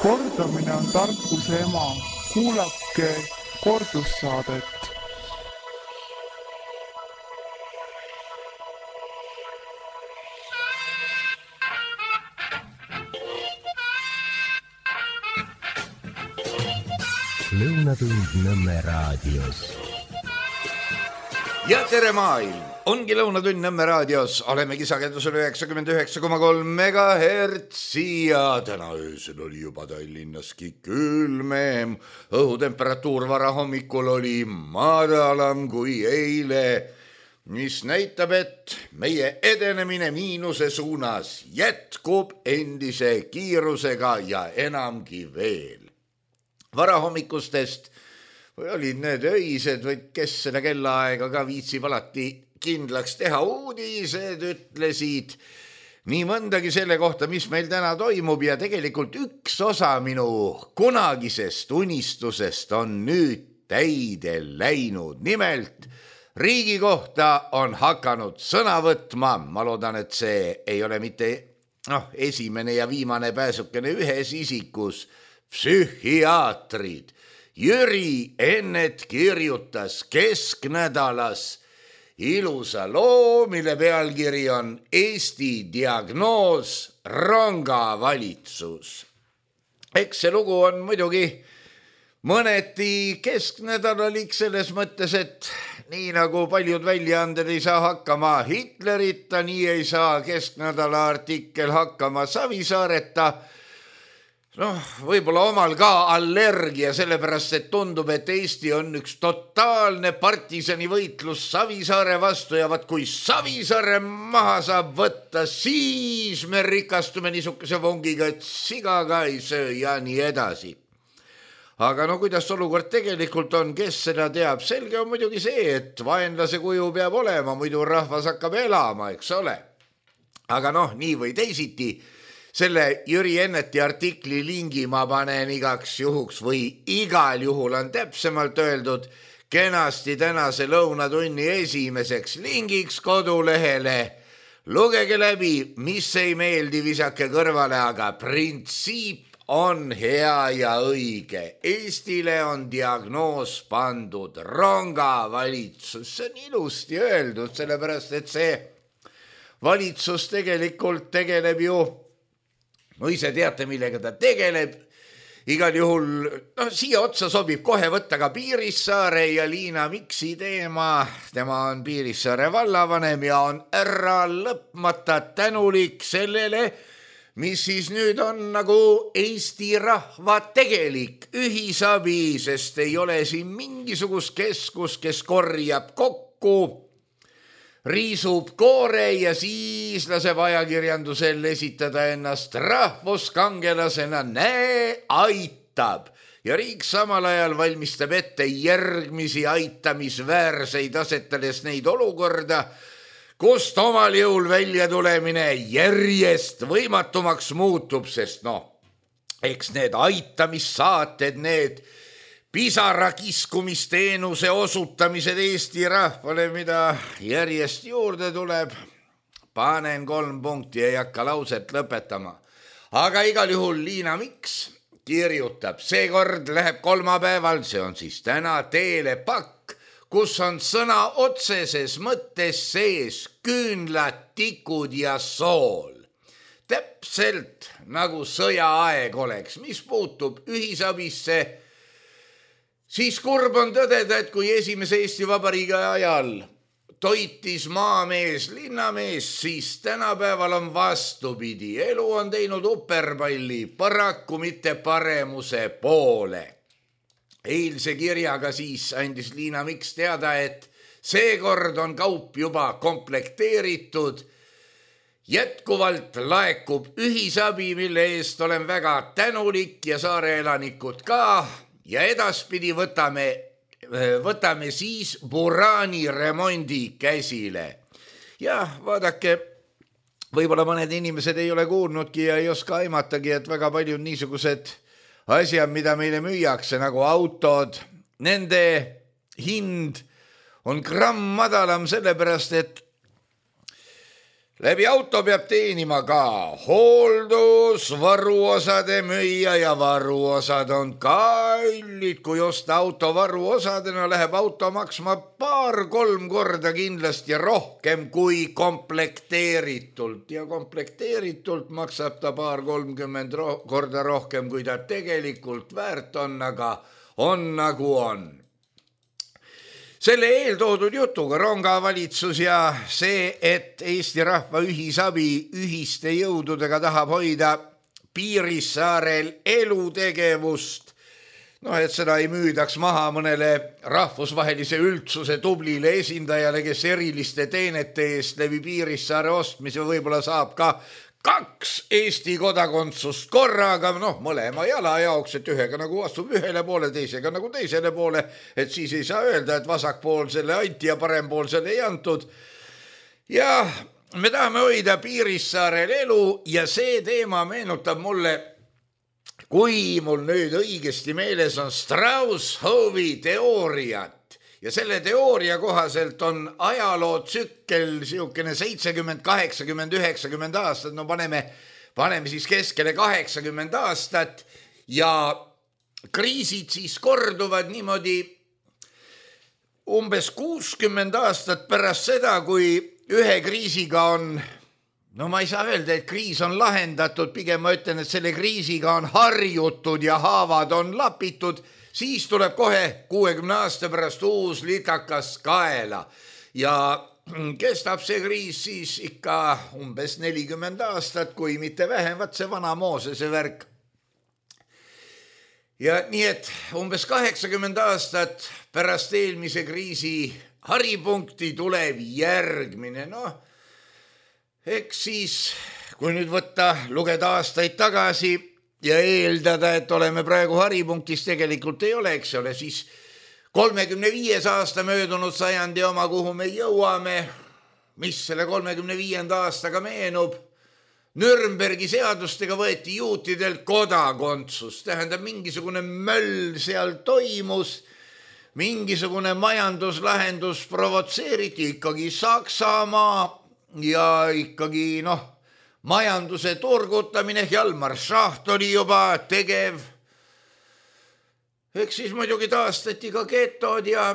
Kordamine on tarkuse ema. Kuulake kordussaadet. Lõunatund Nõmme raadios. Ja tere maailm! Ongi Lõunatund Nõmme raadios. Oleme kisakendusel 99,3 megahertsi ja täna öösel oli juba Tallinnaski külmem. Õhutemperatuur varahommikul oli madalam kui eile, mis näitab, et meie edenemine miinuse suunas jätkub endise kiirusega ja enamgi veel. Varahommikustest või olid need öised või kes seda kellaaega ka viitsib alati kindlaks teha, uudised ütlesid nii mõndagi selle kohta, mis meil täna toimub ja tegelikult üks osa minu kunagisest unistusest on nüüd täide läinud. Nimelt riigi kohta on hakanud sõna võtma, ma loodan, et see ei ole mitte esimene ja viimane pääsukene ühes isikus, psühhiaatrid. Jüri Ennet kirjutas kesknädalas ilusa loo, mille pealkiri on Eesti diagnoos rongavalitsus. Eks see lugu on muidugi mõneti kesknädalalik selles mõttes, et nii nagu paljud väljaanded ei saa hakkama Hitlerita, nii ei saa kesknädala artikkel hakkama Savisaareta. Võib-olla omal ka allergia, sellepärast, et tundub, et Eesti on üks totaalne partisani võitlus Savisaare vastu ja vaat kui Savisaare maha saab võtta, siis me rikastume niisuguse vongiga, et siga ka ei söö ja nii edasi. Aga kuidas olukord tegelikult on, kes seda teab? Selge on muidugi see, et vaenlase kuju peab olema, muidu rahvas hakkab elama, eks ole. Aga nii või teisiti, selle Jüri Enneti artikli lingi ma panen igaks juhuks või igal juhul on täpsemalt öeldud kenasti tänase lõunatunni esimeseks lingiks kodulehele. Lugege läbi, mis ei meeldi, visake kõrvale, aga printsiip on hea ja õige. Eestile on diagnoos pandud rongavalitsus. See on ilusti öeldud, sellepärast et see valitsus tegelikult tegeleb ju ise teate, millega ta tegeleb. Igal juhul, siia otsa sobib kohe võtta ka Piirissaare ja Liina Miksi teema. Tema on Piirissaare vallavanem ja on ära lõpmata tänulik sellele, mis siis nüüd on nagu Eesti rahva tegelik ühisabi, sest ei ole siin mingisugust keskus, kes korjab kokku, riisub koore ja siis laseb ajakirjandusel esitada ennast rahvuskangelasena, aitab. Ja riik samal ajal valmistab ette järgmisi aitamisväärseid, asetades neid olukorda, kust omal jõul välja tulemine järjest võimatumaks muutub, sest eks need aitamissaated, need pisarakiskumisteenuse osutamised Eesti rahvale, mida järjest juurde tuleb. Panen 3 punkti, ei hakka lauset lõpetama. Aga igal juhul Liina Miks kirjutab, seekord läheb kolmapäeval, see on siis täna, teele pakk, kus on sõna otseses mõttes sees küünlad, tikud ja sool. Täpselt nagu sõjaaeg oleks, mis puutub ühisabisse, siis kurb on tõdeda, et kui esimese Eesti Vabariigi ajal toitis maamees, linnamees, siis tänapäeval on vastupidi. Elu on teinud uperpalli, paraku mitte paremuse poole. Eilse kirjaga siis andis Liina Miks teada, et seekord on kaup juba komplekteeritud. Jätkuvalt laekub ühisabi, mille eest olen väga tänulik ja saare elanikud ka. Ja edaspidi võtame siis Burani remondi käsile. Ja vaadake, võib-olla mõned inimesed ei ole kuulnudki ja ei oska aimatagi, et väga palju niisugused asjad, mida meile müüakse, nagu autod, nende hind on gramm madalam sellepärast, et läbi auto peab teenima ka hooldus, varuosade müüja ja varuosad on kallid. Kui osta auto varuosadena, läheb auto maksma 2-3 korda kindlasti rohkem kui komplekteeritult. Ja komplekteeritult maksab ta 20-30 korda rohkem, kui ta tegelikult väärt on, aga on nagu on. Selle eeltoodud jutuga ronga valitsus ja see, et Eesti rahva ühisabi ühiste jõududega tahab hoida Piirissaarel elutegevust, et seda ei müüdaks maha mõnele rahvusvahelise üldsuse tublile esindajale, kes eriliste teenete eest läbi Piirissaare ostmise võib-olla saab ka 2 Eesti kodakondsust korraga, mõlema jala jaoks, et ühega nagu astub ühele poole, teisega nagu teisele poole, et siis ei saa öelda, et vasakpoolsele anti ja parempoolsele ei antud. Ja me tahame hoida Piirissaarel elu ja see teema meenutab mulle, kui mul nüüd õigesti meeles on Strauss-Hovi teooriat. Ja selle teooria kohaselt on ajaloo tsükkel siukene 70, 80, 90 aastat, paneme siis keskele 80 aastat ja kriisid siis korduvad niimoodi umbes 60 aastat pärast seda, kui ühe kriisiga on, ma ei saa öelda, et kriis on lahendatud, pigem ma ütlen, et selle kriisiga on harjutud ja haavad on lapitud, siis tuleb kohe 60 aasta pärast uus litakas kaela ja kestab see kriis siis ikka umbes 40 aastat, kui mitte vähem, see vana Moosese värk. Ja nii, et umbes 80 aastat pärast eelmise kriisi haripunkti tuleb järgmine. Eks siis, kui nüüd lugeda aastaid tagasi, ja eeldada, et oleme praegu haripunktis, tegelikult ei ole, eks ole, siis 35 aasta möödunud sajandi oma, kuhu me jõuame, mis selle 35 aastaga meenub. Nürnbergi seadustega võeti juutidelt kodakondsus, tähendab mingisugune möll seal toimus, mingisugune majanduslahendus provotseeriti ikkagi Saksamaa ja ikkagi majanduse turgutamine, Hjalmar Schacht oli juba tegev. Eks siis muidugi taastati ka getod ja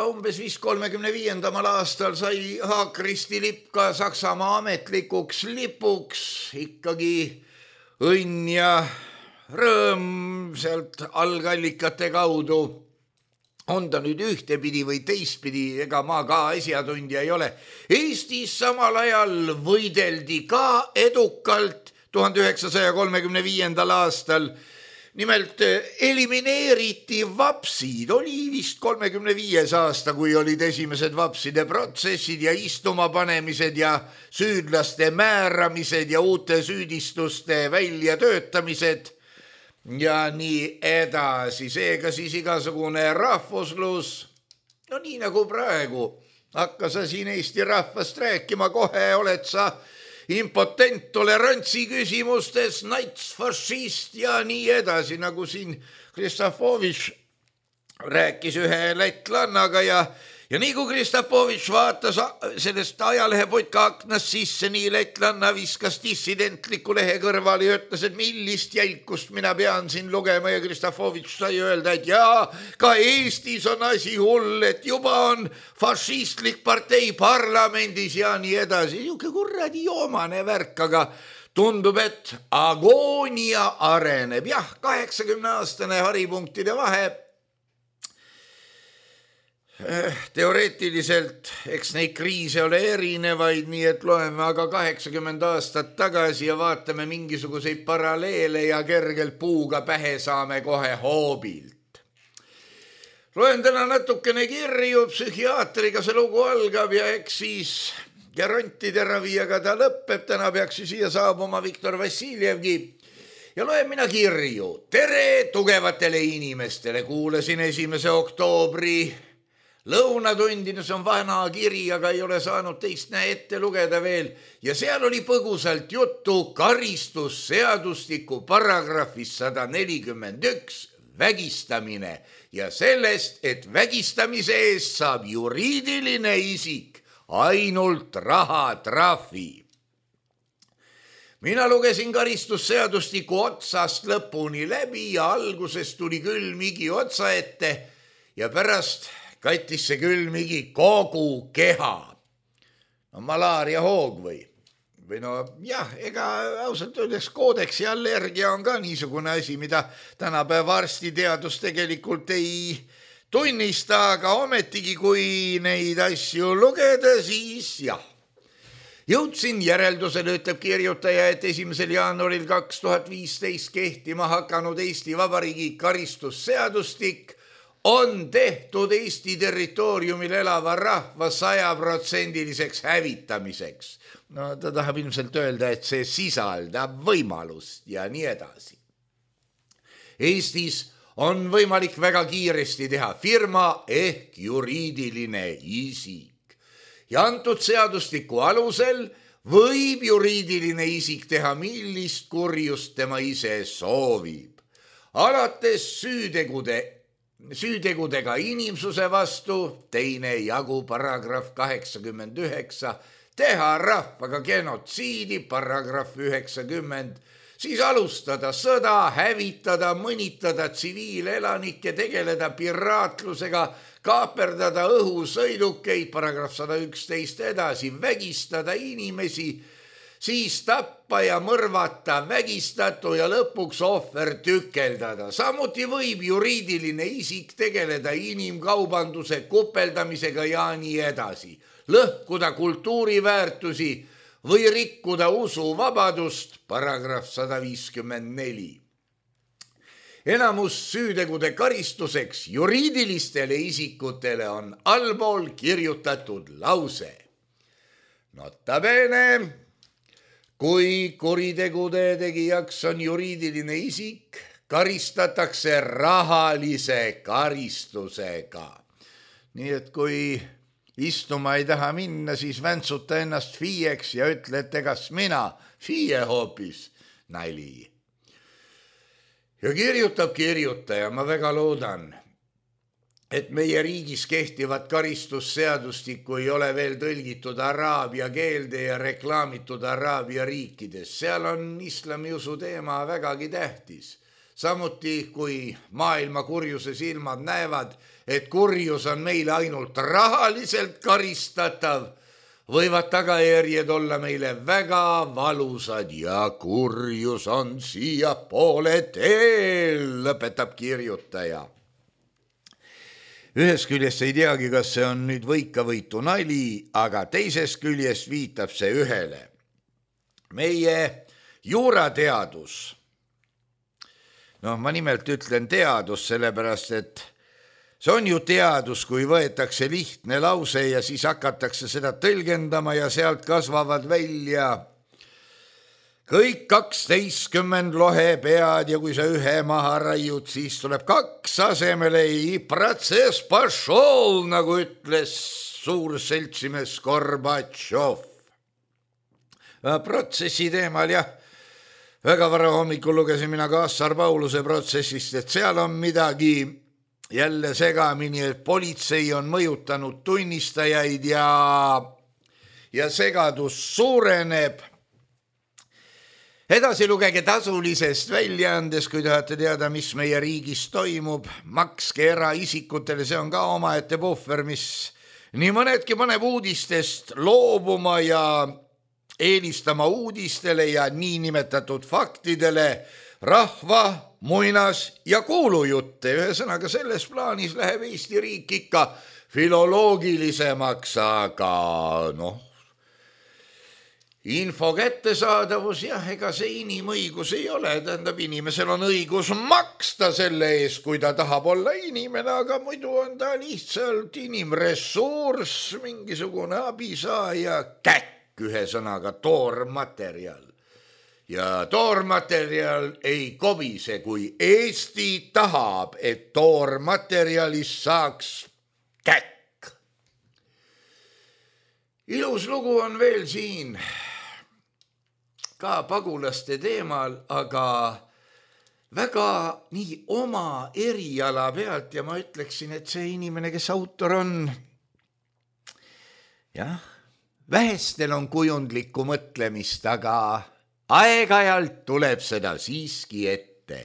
umbes 35. aastal sai Haakristi lipp ka Saksamaa ametlikuks lipuks. Ikkagi õnn ja rõõm sealt algallikate kaudu. On ta nüüd ühtepidi või teistpidi, ega ma ka asjatundja ei ole. Eestis samal ajal võideldi ka edukalt 1935. aastal. Nimelt elimineeriti vapsid, oli vist 35. aasta, kui olid esimesed vapside protsessid ja istuma panemised ja süüdlaste määramised ja uute süüdistuste väljatöötamised. Ja nii edasi, seega siis igasugune rahvuslus, nii nagu praegu, hakka sa siin Eesti rahvast rääkima, kohe oled sa impotent tolerantsi küsimustes, natsfašist ja nii edasi, nagu siin Kristapovitš rääkis ühe lätlannaga ja nii kui Kristapovitš vaatas sellest ajalehepodka aknast sisse, nii lätlanna viskas dissidentliku lehe kõrvale ja ütles, et millist jälkust mina pean siin lugema ja Kristapovitš sai öelda, et jaa, ka Eestis on asi hull, et juba on fašistlik partei parlamendis ja nii edasi. Niuke kurradi joomane värk, aga tundub, et agoonia areneb. Jah, 80-aastane haripunktide vahe. Teoreetiliselt, eks neid kriise ole erinevaid, nii et loeme aga 80 aastat tagasi ja vaatame mingisuguseid paralleele ja kergelt puuga pähe saame kohe hoobilt. Loen täna natukene kirju, psühhiaatriga see lugu algab ja eks siis garantide ravijaga ta lõpeb, täna peaks siia saabuma Viktor Vassiljevgi. Ja loen mina kirju. Tere tugevatele inimestele, kuulasin 1. oktoobri lõunatundines on vana kiri, aga ei ole saanud teist ette lugeda veel. Ja seal oli põgusalt juttu karistusseadustiku paragrahvis 141 vägistamine ja sellest, et vägistamise eest saab juriidiline isik ainult rahatrahvi. Mina lugesin karistusseadustiku otsast lõpuni läbi ja alguses tuli külmigi otsa ette ja pärast kattis see külmigi kogu keha. No malaaria hoog või no jah, ega ausalt öeldes koodeksi allergia on ka niisugune asi, mida tänapäeva arstiteadus tegelikult ei tunnista, aga ometigi kui neid asju lugeda, siis jah. Jõudsin järeldusele, ütleb kirjutaja, et 1. jaanuaril 2015 kehtima hakanud Eesti Vabariigi karistusseadustik on tehtud Eesti territooriumil elava rahva 100%-liseks hävitamiseks. No ta tahab ilmselt öelda, et see sisaldab võimalust ja nii edasi. Eestis on võimalik väga kiiresti teha firma ehk juriidiline isik. Ja antud seadustiku alusel võib juriidiline isik teha millist kurjust tema ise soovib. Alates süütegudega inimsuse vastu, teine jagu paragrahv 89, teha rahvaga genotsiidi, paragrahv 90, siis alustada sõda, hävitada, mõnitada tsiviilelanikke, tegeleda piraatlusega, kaaperdada õhusõidukeid, paragrahv 111 edasi, vägistada inimesi, siis tappa ja mõrvata vägistatu ja lõpuks ohver tükeldada. Samuti võib juriidiline isik tegeleda inimkaubanduse kupeldamisega ja nii edasi. Lõhkuda kultuuriväärtusi või rikkuda usuvabadust, paragrahv 154. Enamus süütegude karistuseks juriidilistele isikutele on allpool kirjutatud lause. Nota bene, kui kuritegude tegijaks on juriidiline isik, karistatakse rahalise karistusega. Nii et kui istuma ei taha minna, siis väntsuta ennast FIE-ks ja ütle, et egas mina, FIE hoopis, nali. Ja kirjutab kirjutaja, ma väga loodan, et meie riigis kehtivat karistusseadustikku ei ole veel tõlgitud araabia keelde ja reklaamitud araabia riikides. Seal on islamiusu teema vägagi tähtis. Samuti, kui maailma kurjuse silmad näevad, et kurjus on meile ainult rahaliselt karistatav, võivad tagajärjed olla meile väga valusad ja kurjus on siia poole teel, lõpetab kirjutaja. Ühest küljest ei teagi, kas see on nüüd võikavõitu nali, aga teisest küljest viitab see ühele. Meie juurateadus, ma nimelt ütlen teadus, sellepärast et see on ju teadus, kui võetakse lihtne lause ja siis hakatakse seda tõlgendama ja sealt kasvavad välja kõik 12 lohepead ja kui sa ühe maha raiud, siis tuleb 2 asemele protsess pašol, nagu ütles suur seltsimees Gorbatšov. Protsessi teemal jah, väga vara hommikul lugesin mina Kassar Pauluse protsessist, et seal on midagi jälle segamini, et politsei on mõjutanud tunnistajaid ja segadus suureneb. Edasi lugege tasulisest väljaandes, kui tahate teada, mis meie riigis toimub. Makske eraisikutele, see on ka omaette puhver, mis nii mõnedki paneb uudistest loobuma ja eelistama uudistele ja niinimetatud faktidele rahva, muinas ja kuulujutte. Ühesõnaga selles plaanis läheb Eesti riik ikka filoloogilisemaks, aga info kättesaadavus, jah, ega see inimõigus ei ole, tähendab, inimesel on õigus maksta selle eest, kui ta tahab olla inimene, aga muidu on ta lihtsalt inimressurss, mingisugune abisaaja käkk, ühesõnaga toormaterjal. Ja toormaterjal ei kobise, kui Eesti tahab, et toormaterjalist saaks käkk. Ilus lugu on veel siin ka pagulaste teemal, aga väga nii oma eriala pealt ja ma ütleksin, et see inimene, kes autor on, jah, Vähestel on kujundlikku mõtlemist, aga aeg-ajalt tuleb seda siiski ette.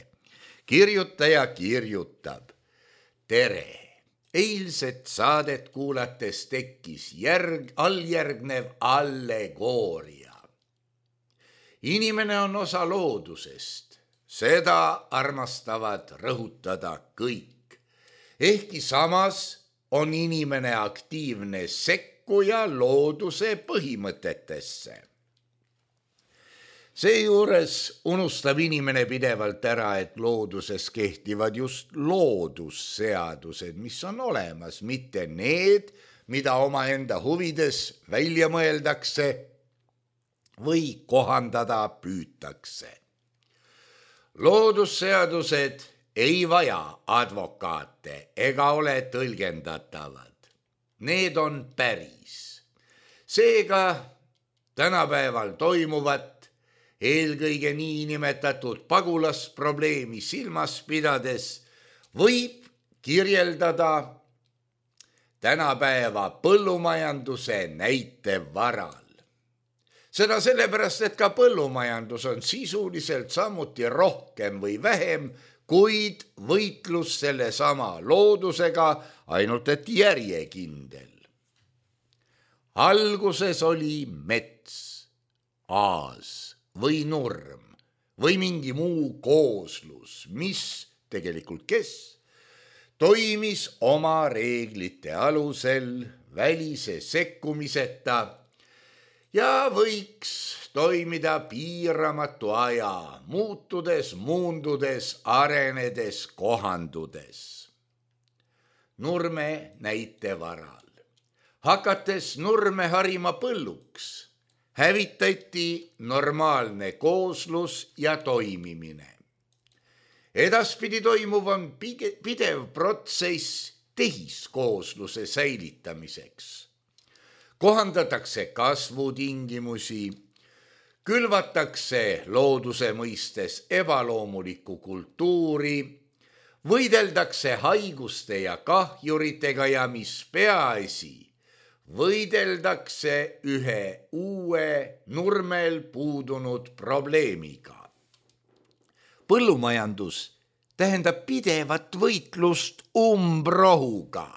Kirjutaja kirjutab. Tere! Eilset saadet kuulates tekkis alljärgnev allegooria. Inimene on osa loodusest. Seda armastavad rõhutada kõik. Ehkki samas on inimene aktiivne sekkuja looduse põhimõtetesse. Seejuures unustab inimene pidevalt ära, et looduses kehtivad just loodusseadused, mis on olemas, mitte need, mida omaenda huvides välja mõeldakse või kohandada püütakse. Loodusseadused ei vaja advokaate ega ole tõlgendatavad. Need on päris. Seega tänapäeval toimuvat eelkõige niinimetatud pagulasprobleemi silmas pidades võib kirjeldada tänapäeva põllumajanduse näite varal. Seda sellepärast, et ka põllumajandus on sisuliselt samuti rohkem või vähem, kuid võitlus selle sama loodusega, ainult et järjekindel. Alguses oli mets, aas või nurm või mingi muu kooslus, mis tegelikult toimis oma reeglite alusel välise sekkumiseta ja võiks toimida piiramatu aja, muutudes, muundudes, arenedes, kohandudes. Nurme näite varal. Hakates nurme harima põlluks, hävitati normaalne kooslus ja toimimine. Edaspidi toimuv on pidev protsess tehiskoosluse säilitamiseks. Kohandatakse kasvutingimusi, külvatakse looduse mõistes ebaloomulikku kultuuri, võideldakse haiguste ja kahjuritega ja mis peaasi, võideldakse ühe uue nurmel puudunud probleemiga. Põllumajandus tähendab pidevat võitlust umbrohuga.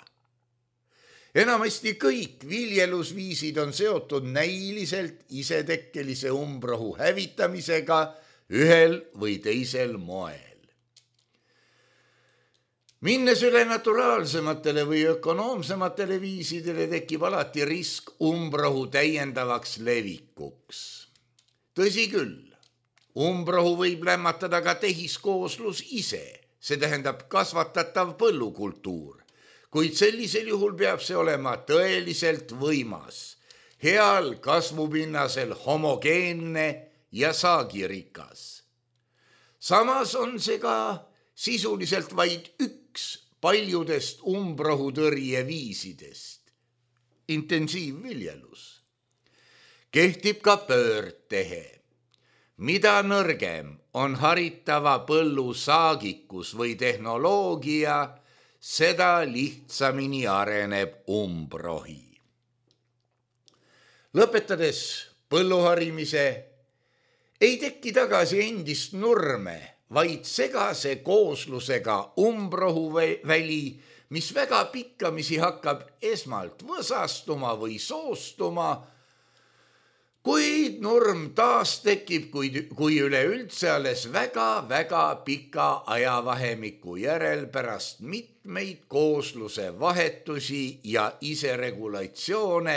Enamasti kõik viljelusviisid on seotud näiliselt isetekkelise umbrohu hävitamisega ühel või teisel moel. Minnes üle naturaalsematele või ökonoomsematele viisidele tekib alati risk umbrohu täiendavaks levikuks. Tõsi küll, umbrohu võib lämmatada ka tehiskooslus ise, see tähendab kasvatatav põllukultuur, kuid sellisel juhul peab see olema tõeliselt võimas, heal kasvupinnasel homogeenne ja saagirikas. Samas on see ka sisuliselt vaid üks paljudest umbrohutõrje viisidest, intensiivviljelus. Kehtib ka pöördtehe. Mida nõrgem on haritava põllu saagikus või tehnoloogia, seda lihtsamini areneb umbrohi. Lõpetades põlluharimise ei teki tagasi endist nurme, vaid segase kooslusega umbrohuväli, mis väga pikkamisi hakkab esmalt võsastuma või soostuma, kuid nurm taas tekib, kui üleüldse alles väga pika ajavahemiku järel pärast mitmeid koosluse vahetusi ja iseregulatsioone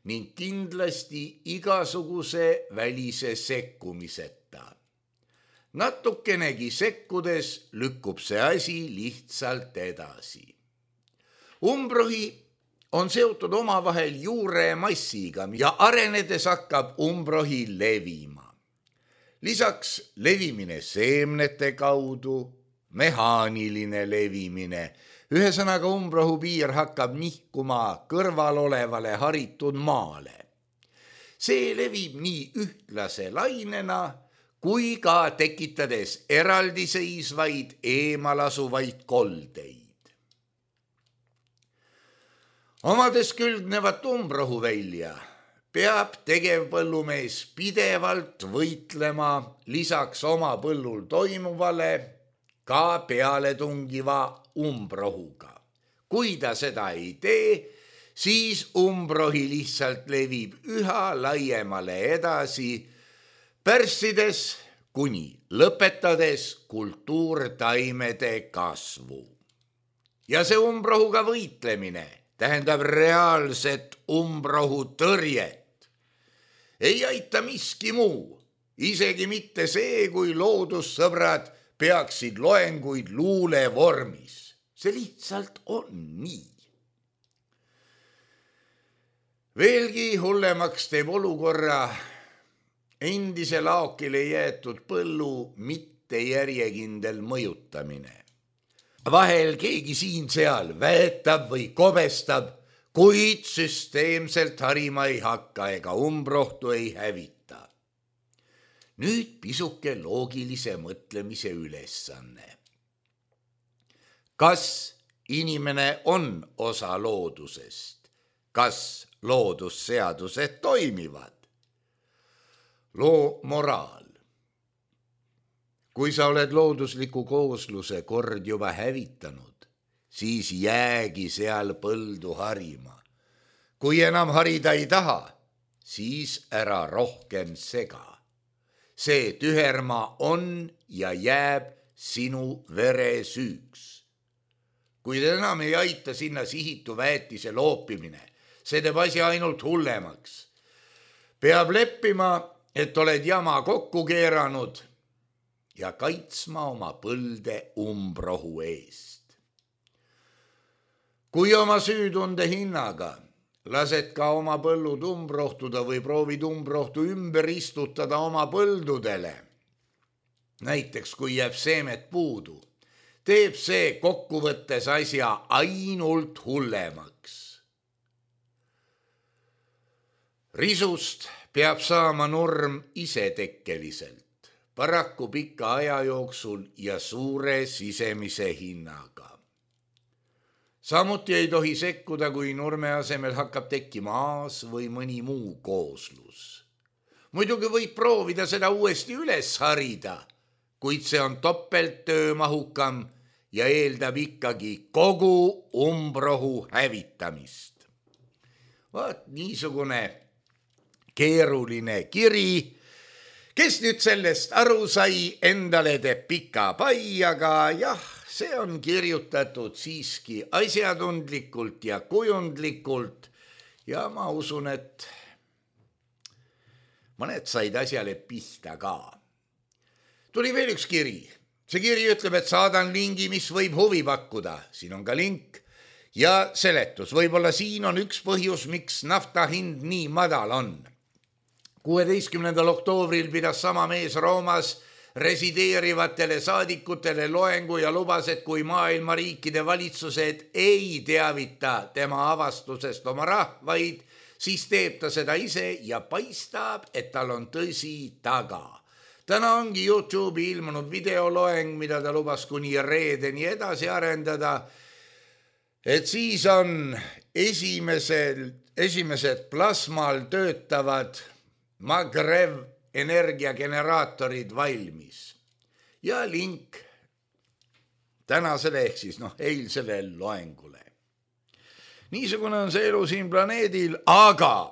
ning kindlasti igasuguse välise sekkumiseta. Natukenegi sekkudes lükkub see asi lihtsalt edasi. Umbrohi on seotud omavahel juuremassiga ja arenedes hakkab umbrohi levima. Lisaks levimine seemnete kaudu, mehaaniline levimine, ühesõnaga umbrohu piir hakkab nihkuma kõrval olevale haritud maale. See levib nii ühtlase lainena, kui ka tekitades eraldiseisvaid eemalasuvaid koldeid. Omades külgnevat umbrohuvälja, peab tegevpõllumees pidevalt võitlema lisaks oma põllul toimuvale ka pealetungiva umbrohuga. Kui ta seda ei tee, siis umbrohi lihtsalt levib üha laiemale edasi, pärssides kuni lõpetades kultuurtaimede kasvu. Ja see umbrohuga võitlemine tähendab reaalset umbrohu tõrjet. Ei aita miski muu, isegi mitte see, kui loodussõbrad peaksid loenguid luule vormis. See lihtsalt on nii. Veelgi hullemaks teeb olukorra endise laokile jäetud põllu mittejärjekindel mõjutamine. Vahel keegi siin-seal väetab või kobestab, kuid süsteemselt harima ei hakka ega umbrohtu ei hävita. Nüüd pisuke loogilise mõtlemise ülesanne. Kas inimene on osa loodusest? Kas loodusseadused toimivad? Loo moraal. Kui sa oled loodusliku koosluse kord juba hävitanud, siis jäägi seal põldu harima. Kui enam harida ei taha, siis ära rohkem sega. See tüherma on ja jääb sinu veresüüks. Kuid enam ei aita sinna sihitu väetise loopimine, see teeb asja ainult hullemaks. Peab leppima, et oled jama kokku keeranud ja kaitsma oma põlde umbrohu eest. Kui oma süütunde hinnaga lased ka oma põllud umbrohtuda või proovid umbrohtu ümber istutada oma põldudele, näiteks kui jääb seemet puudu, teeb see kokkuvõttes asja ainult hullemaks. Risust peab saama nurm isetekkeliselt, paraku pika aja jooksul ja suure sisemise hinnaga. Samuti ei tohi sekkuda, kui nurme asemel hakkab tekkima aas või mõni muu kooslus. Muidugi võib proovida seda uuesti üles harida, kuid see on topelt töömahukam ja eeldab ikkagi kogu umbrohu hävitamist. Vaat niisugune keeruline kiri. Kes nüüd sellest aru sai, endale teeb pika pai, aga jah, see on kirjutatud siiski asjatundlikult ja kujundlikult ja ma usun, et mõned said asjale pihta ka. Tuli veel üks kiri. See kiri ütleb, et saadan lingi, mis võib huvi pakkuda. Siin on ka link ja seletus. Võib-olla siin on üks põhjus, miks nafta hind nii madal on. 16. oktoobril pidas sama mees Roomas resideerivatele saadikutele loengu ja lubas, et kui maailma riikide valitsused ei teavita tema avastusest oma rahvaid, siis teeb ta seda ise ja paistab, et tal on tõsi taga. Täna ongi YouTube'i ilmunud videoloeng, mida ta lubas kuni reedeni edasi arendada, et siis on esimesed plasmal töötavad Magrev energiageneraatorid valmis ja link tänasele ehk siis eilsele loengule. Niisugune on see elu siin planeedil, aga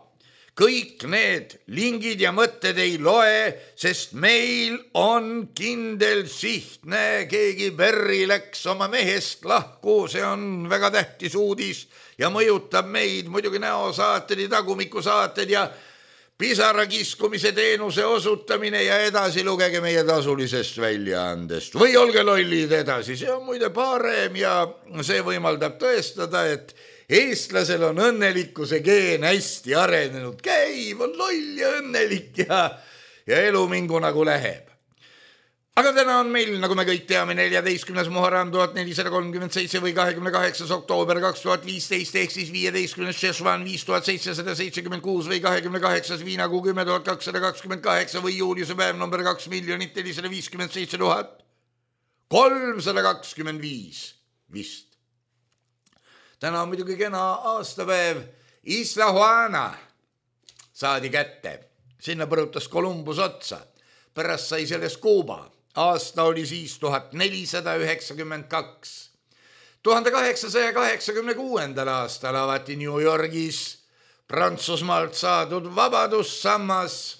kõik need lingid ja mõtted ei loe, sest meil on kindel siht. Näe, keegi Berri läks oma mehest lahku, see on väga tähtis uudis ja mõjutab meid muidugi näosaated ja tagumikusaated ja pisara kiskumise teenuse osutamine ja edasi lugege meie tasulisest väljaandest. Või olge lollid edasi, see on muide parem ja see võimaldab tõestada, et eestlasel on õnnelikkuse geen hästi arenenud. Käib, on loll ja õnnelik ja elu mingu nagu läheb. Aga täna on meil, nagu me kõik teame, 14. Muharram 1437 või 28. oktoober 2015 ehk siis 15. Šešvan 5776 või 28. Viinakuu 10.228 või juuliuse päev number 2,457,325 vist. Täna on muidugi kena aastapäev Isla Juana. saadi kätte. Sinna põrutas Columbus otsa. Pärast sai sellest Kuuba. Aasta oli siis 1492. 1886. aastal avati New Yorgis Prantsusmaalt saadud vabadussammas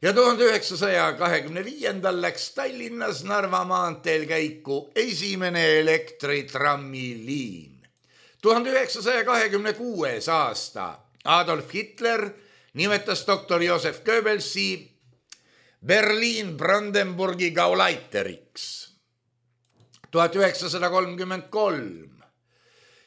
ja 1925. läks Tallinnas Narva maanteel käiku esimene elektritrammiliin. 1926. aasta Adolf Hitler nimetas doktor Josef Goebbelsi Berliin-Brandenburgi Gaulaiteriks. 1933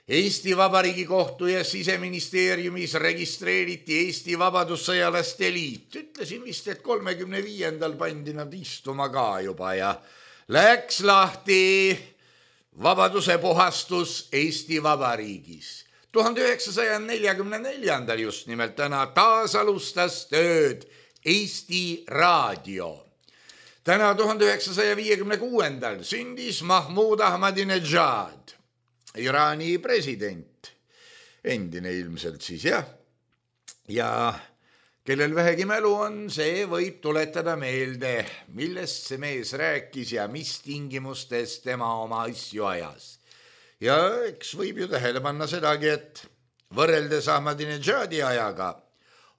Eesti Vabariigi kohtu ja Siseministeeriumis registreeriti Eesti Vabadussõjalaste Liit. Ütlesin vist, et 35. pandi nad istuma ka juba ja läks lahti vabaduse puhastus Eesti Vabariigis. 1944. just nimelt täna taas alustas tööd Eesti Raadio. Täna 1956. sündis Mahmoud Ahmadinejad, Iraani president, endine ilmselt siis jah. Ja kellel vähegi mälu on, see võib tuletada meelde, millest see mees rääkis ja mis tingimustes tema oma asju ajas. Ja eks võib ju tähele panna sedagi, et võrreldes Ahmadinejadi ajaga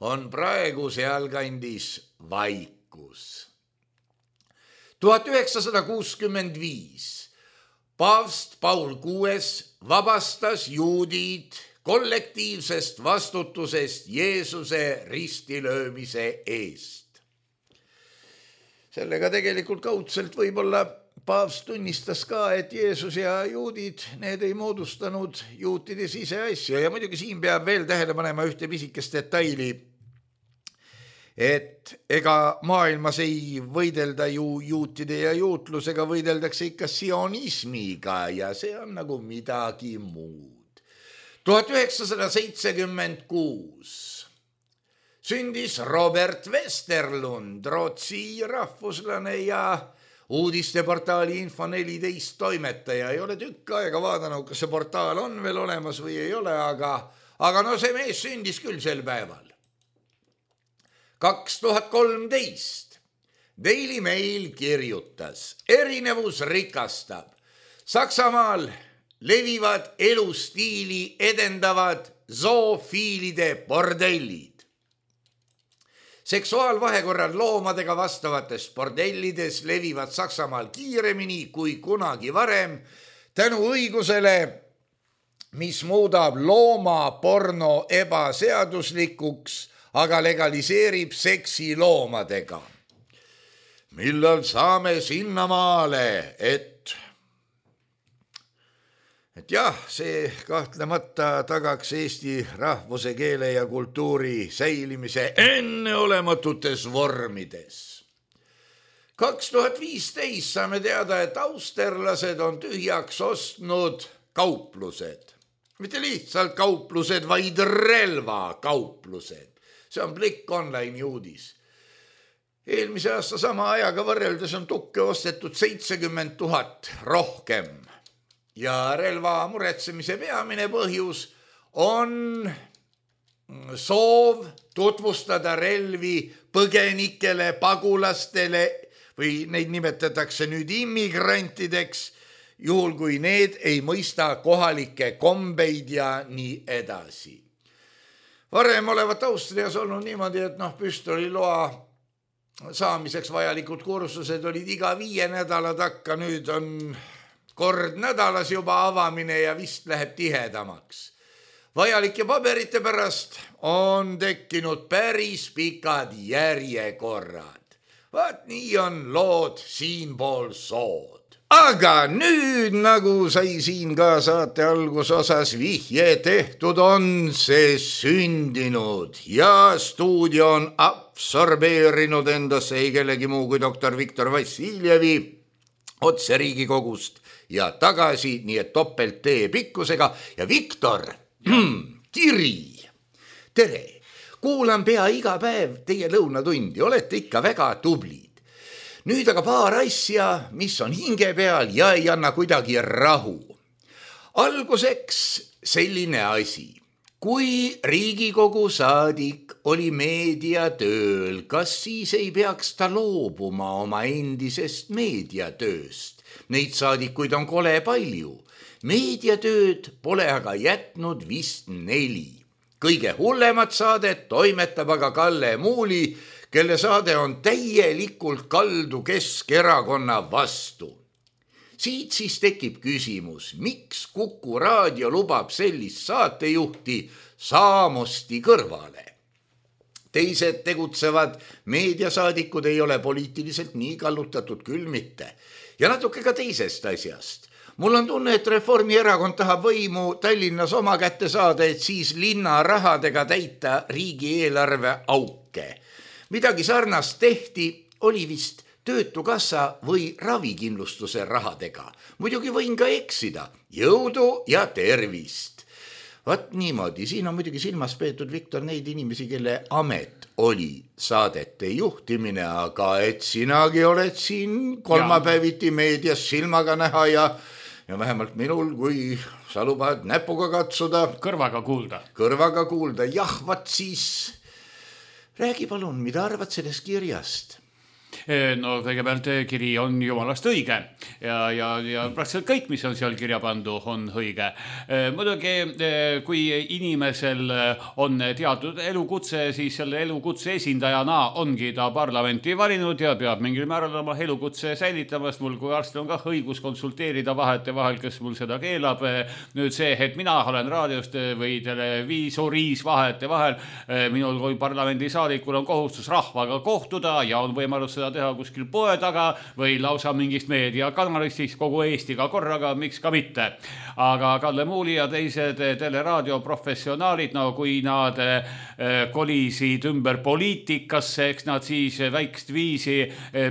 on praegu sealkandis vaikus. 1965 paavst Paul VI vabastas juudid kollektiivsest vastutusest Jeesuse ristilöömise eest. Sellega tegelikult kaudselt võib-olla paavst tunnistas ka, et Jeesus ja juudid, need ei moodustanud juutide siseasja ja muidugi siin peab veel tähele panema ühte pisikest detaili, et ega maailmas ei võidelda ju juutide ja juutlusega, võideldakse ikka sionismiga ja see on nagu midagi muud. 1976 sündis Robert Westerlund, Rootsi rahvuslane ja uudisteportaali Info14 toimetaja. Ei ole tükk aega vaadanud, kas see portaal on veel olemas või ei ole, aga no see mees sündis küll sel päeval. 2013 Daily Mail kirjutas, erinevus rikastab. Saksamaal levivad elustiili edendavad zoofiilide bordellid. Seksuaalvahekorral loomadega vastavates bordellides levivad Saksamaal kiiremini kui kunagi varem tänu õigusele, mis muudab loomaporno ebaseaduslikuks, aga legaliseerib seksi loomadega. Millal saame sinnamaale, et jah, see kahtlemata tagaks Eesti rahvuse, keele ja kultuuri säilimise enneolematutes vormides. 2015 saame teada, et austerlased on tühjaks ostnud kauplused. Mitte lihtsalt kauplused, vaid relvakauplused. See on Blikk Online uudis. Eelmise aasta sama ajaga võrreldes on tukke ostetud 70 000 rohkem. Ja relva muretsemise peamine põhjus on soov tutvustada relvi põgenikele, pagulastele või neid nimetatakse nüüd immigrantideks, juhul kui need ei mõista kohalikke kombeid ja nii edasi. Varem olevat Austrias olnud niimoodi, et püstoliloa saamiseks vajalikud kursused olid iga 5 nädala takka, nüüd on kord nädalas juba avamine ja vist läheb tihedamaks. Vajalike paberite pärast on tekkinud päris pikad järjekorrad. Vaat nii on lood siinpool sood. Aga nüüd, nagu sai siin ka saate algusosas vihje tehtud, on see sündinud ja stuudio on absorbeerinud endasse ei kellegi muu kui doktor Viktor Vassiljevi otse Riigikogust ja tagasi, nii et topelt tee pikkusega. Ja Viktor, kiri, tere, kuulan pea iga päev teie lõunatundi, olete ikka väga tublid. Nüüd aga paar asja, mis on hinge peal ja ei anna kuidagi rahu. Alguseks selline asi. kui Riigikogu saadik oli meediatööl, kas siis ei peaks ta loobuma oma endisest meediatööst? Neid saadikuid on kole palju. Meediatööd pole aga jätnud vist 4. Kõige hullemat saadet toimetab aga Kalle Muuli, kelle saade on täielikult kaldu Keskerakonna vastu. Siit siis tekib küsimus, miks Kuku Raadio lubab sellist saatejuhti Saamosti kõrvale? Teised tegutsevad meediasaadikud ei ole poliitiliselt nii kallutatud küll mitte. Ja natuke ka teisest asjast. Mul on tunne, et Reformierakond tahab võimu Tallinnas oma kätte saada, et siis linna rahadega täita riigieelarve auke. Midagi sarnast tehti, oli vist töötukassa või ravikindlustuse rahadega. Muidugi võin ka eksida. Jõudu ja tervist. Vaat niimoodi, siin on muidugi silmas peetud, Viktor, neid inimesi, kelle amet oli saadete juhtimine, aga et sinagi oled siin kolmapäeviti meedias silmaga näha ja vähemalt minul, kui sa lubad näpuga katsuda. Kõrvaga kuulda. Jah, vaat siis räägi palun, mida arvad sellest kirjast? No kõigepealt kiri on jumalast õige ja praktiliselt kõik, mis on seal kirja pandu, on õige. Muidugi, kui inimesel on teatud elukutse, siis selle elukutse esindajana ongi ta parlamenti valinud ja peab mingil määral oma elukutse säilitamast. Mul kui arstil on ka õigus konsulteerida vahetevahel, kes mul seda keelab. Nüüd see, et mina olen raadiost või televiisoris vahetevahel, minul kui parlamendisaadikul on kohustus rahvaga kohtuda ja on võimalus seda teha kuskil poe taga või lausa mingist meediakanalist siis kogu Eestiga korraga, miks ka mitte. Aga Kalle Muuli ja teised teleraadio professionaalid, no kui nad kolisid ümber poliitikasse, eks nad siis väikest viisi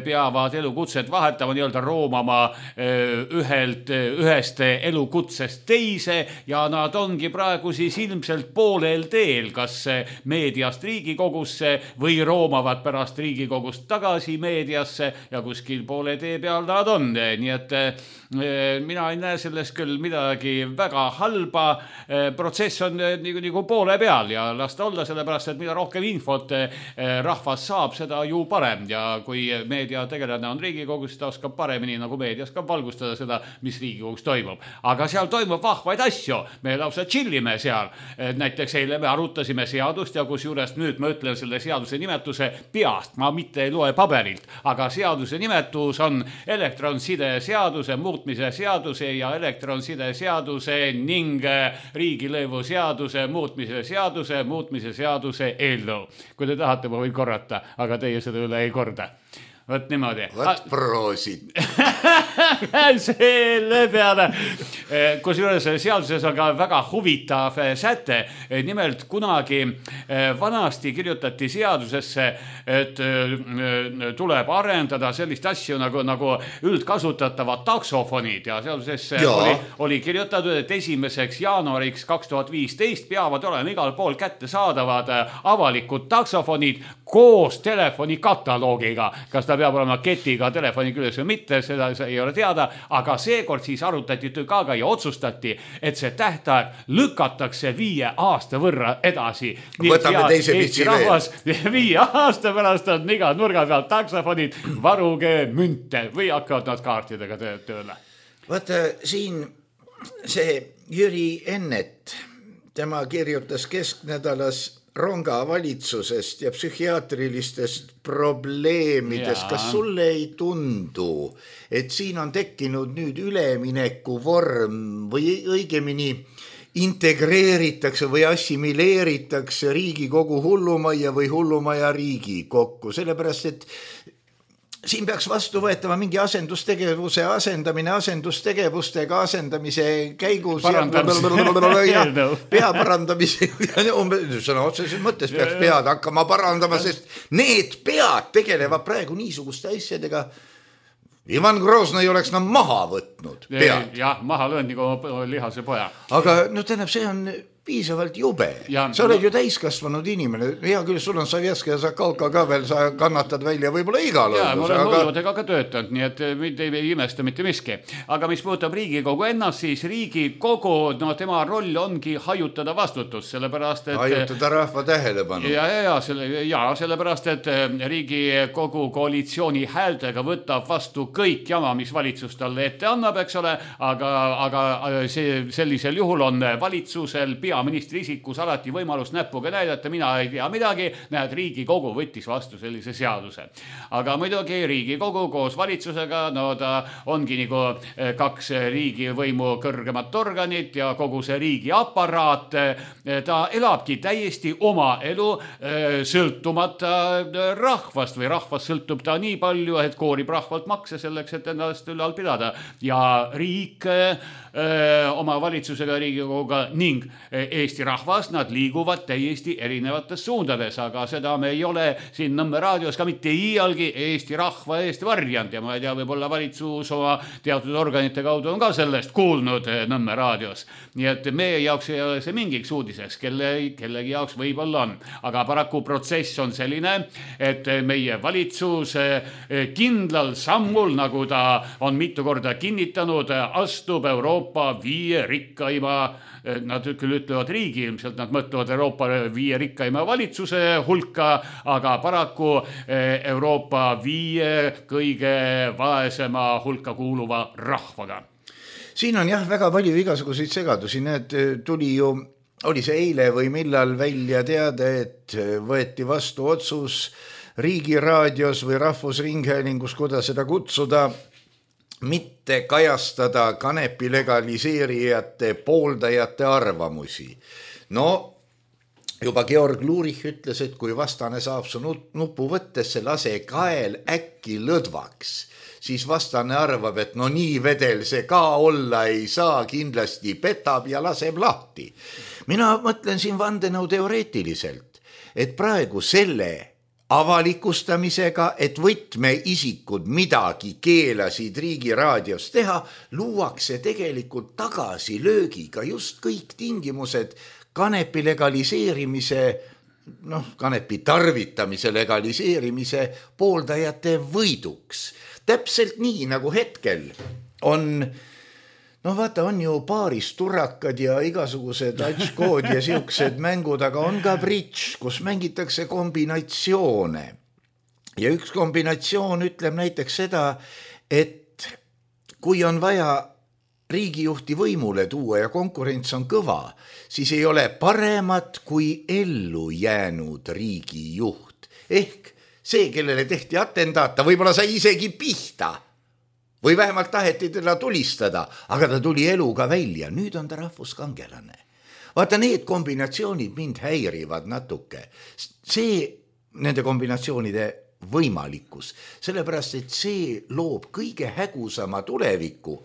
peavad elukutset vahetama, nii-öelda roomama ühest elukutsest teise ja nad ongi praegu siis ilmselt poolel teel, kas meediast Riigikogusse või roomavad pärast Riigikogust tagasi meediasse ja kuskil poole tee peal nad on. Nii et mina ei näe sellest küll midagi väga halba. Protsess on nagu poole peal ja las ta olla, sellepärast, et mida rohkem infot rahvas saab, seda ju parem. Ja kui meediategelane on Riigikogus, ta oskab paremini nagu meedias ka valgustada seda, mis Riigikogus toimub. Aga seal toimub vahvaid asju. Me lausa chillime seal. Näiteks eile me arutasime seadust ja kusjuures nüüd ma ütlen selle seaduse nimetuse peast. Ma mitte ei loe paberilt, aga seaduse nimetus on elektronside seaduse muutmise seaduse ja elektronside seaduse ning riigilõivu seaduse muutmise seaduse eelnõu. Kui te tahate, ma võin korrata, aga teie seda üle ei korda. Võt niimoodi. Võt proosid. Selle peale. Kusjuures seaduses on ka väga huvitav säte. Nimelt kunagi vanasti kirjutati seadusesse, et tuleb arendada sellist asju nagu üldkasutatavad taksofonid ja seadusesse oli kirjutatud, et 1. jaanuariks 2015 peavad olema igal pool kätte saadavad avalikud taksofonid koos telefoni kataloogiga. Kas ta peab olema ketiga telefoni küljes või mitte, seda ei ole teada, aga seekord siis arutati tükaga ja otsustati, et see tähtaeg lükatakse 5 aasta võrra edasi. Võtame teise pitsi veel. 5 aasta pärast on iga nurga pealt taksofonid, varuge münte või hakkavad nad kaartidega tööle. Vaata, siin see Jüri Ennet, tema kirjutas kesknädalas ronga valitsusest ja psühhiaatrilistest probleemidest. Kas sulle ei tundu, et siin on tekkinud nüüd ülemineku vorm või õigemini integreeritakse või assimileeritakse Riigikogu hullumaja või hullumaja riigi kokku, sellepärast et siin peaks vastu võetama mingi asendustegevuse asendamine asendustegevustega asendamise käigus pea parandamise sõna otseses mõttes peaks pead hakkama parandama, sest need pead tegelevad praegu niisuguste asjadega. Ivan Groznõi oleks maha võtnud pead. Jah, maha löönud nagu lihase poja. Aga no tähendab, see on piisavalt jube. Ja, sa oled ju täiskasvanud inimene. Hea küll, sul on Savjeska ja Zakalka ka veel, sa kannatad välja võib-olla igal ja, ma olen hulludega ka töötanud, nii et ei imesta mitte miski. Aga mis puudutab Riigikogu ennast, siis Riigikogu, no tema roll ongi hajutada vastutus, sellepärast et hajutada rahva tähelepanu. Sellepärast, et Riigikogu koalitsiooni häältega võtab vastu kõik jama, mis valitsus talle ette annab, eks ole, aga sellisel juhul on valitsusel peaministri isikus alati võimalus näpuga näidata, mina ei tea midagi, näed, Riigikogu võttis vastu sellise seaduse. Aga muidugi Riigikogu koos valitsusega, no ta ongi nagu kaks riigivõimu kõrgemat organit ja kogu see riigi aparaat, ta elabki täiesti oma elu sõltumata rahvast või rahvast sõltub ta nii palju, et koorib rahvalt makse selleks, et ennast ülal pidada ja riik oma valitsusega Riigikoguga ning Eesti rahvas, nad liiguvad täiesti erinevates suundades, aga seda me ei ole siin Nõmme raadios ka mitte iialgi Eesti rahva eest varjanud ja ma ei tea, võib-olla valitsus oma teatud organite kaudu on ka sellest kuulnud Nõmme raadios. Nii et meie jaoks ei ole see mingiks uudiseks, kellegi jaoks võib-olla on. Aga paraku protsess on selline, et meie valitsus kindlal sammul, nagu ta on mitu korda kinnitanud, astub Euroopa 5 rikkaima, nad küll ütlevad riigi, ilmselt nad mõtlevad Euroopa 5 rikkaima valitsuse hulka, aga paraku Euroopa 5 kõige vaesema hulka kuuluva rahvaga. Siin on jah väga palju igasuguseid segadusi, need oli see eile või millal välja teada, et võeti vastu otsus Riigiraadios või Rahvusringhäälingus, kuidas seda kutsuda, mitte kajastada kanepi legaliseerijate pooldajate arvamusi. No, juba Georg Lurich ütles, et kui vastane saab su nupu võttesse, lase kael äkki lõdvaks, siis vastane arvab, et no nii vedel see ka olla ei saa, kindlasti petab ja laseb lahti. Mina mõtlen siin vandenõu teoreetiliselt, et praegu selle avalikustamisega, et võtmeisikud midagi keelasid Riigiraadios teha, luuakse tegelikult tagasi löögiga just kõik tingimused kanepi legaliseerimise, kanepi tarvitamise legaliseerimise pooldajate võiduks. Täpselt nii, nagu hetkel on on ju paaris turrakad ja igasugused atškood ja siuksed mängud, aga on ka bridž, kus mängitakse kombinatsioone. Ja üks kombinatsioon ütleb näiteks seda, et kui on vaja riigijuhti võimule tuua ja konkurents on kõva, siis ei ole paremat kui ellu jäänud riigijuht. Ehk see, kellele tehti atendaata, võib-olla sai isegi pihta. Või vähemalt taheti teda tulistada, aga ta tuli eluga välja. Nüüd on ta rahvuskangelane. Vaata, need kombinatsioonid mind häirivad natuke. See, nende kombinatsioonide võimalikkus, sellepärast, et see loob kõige hägusama tuleviku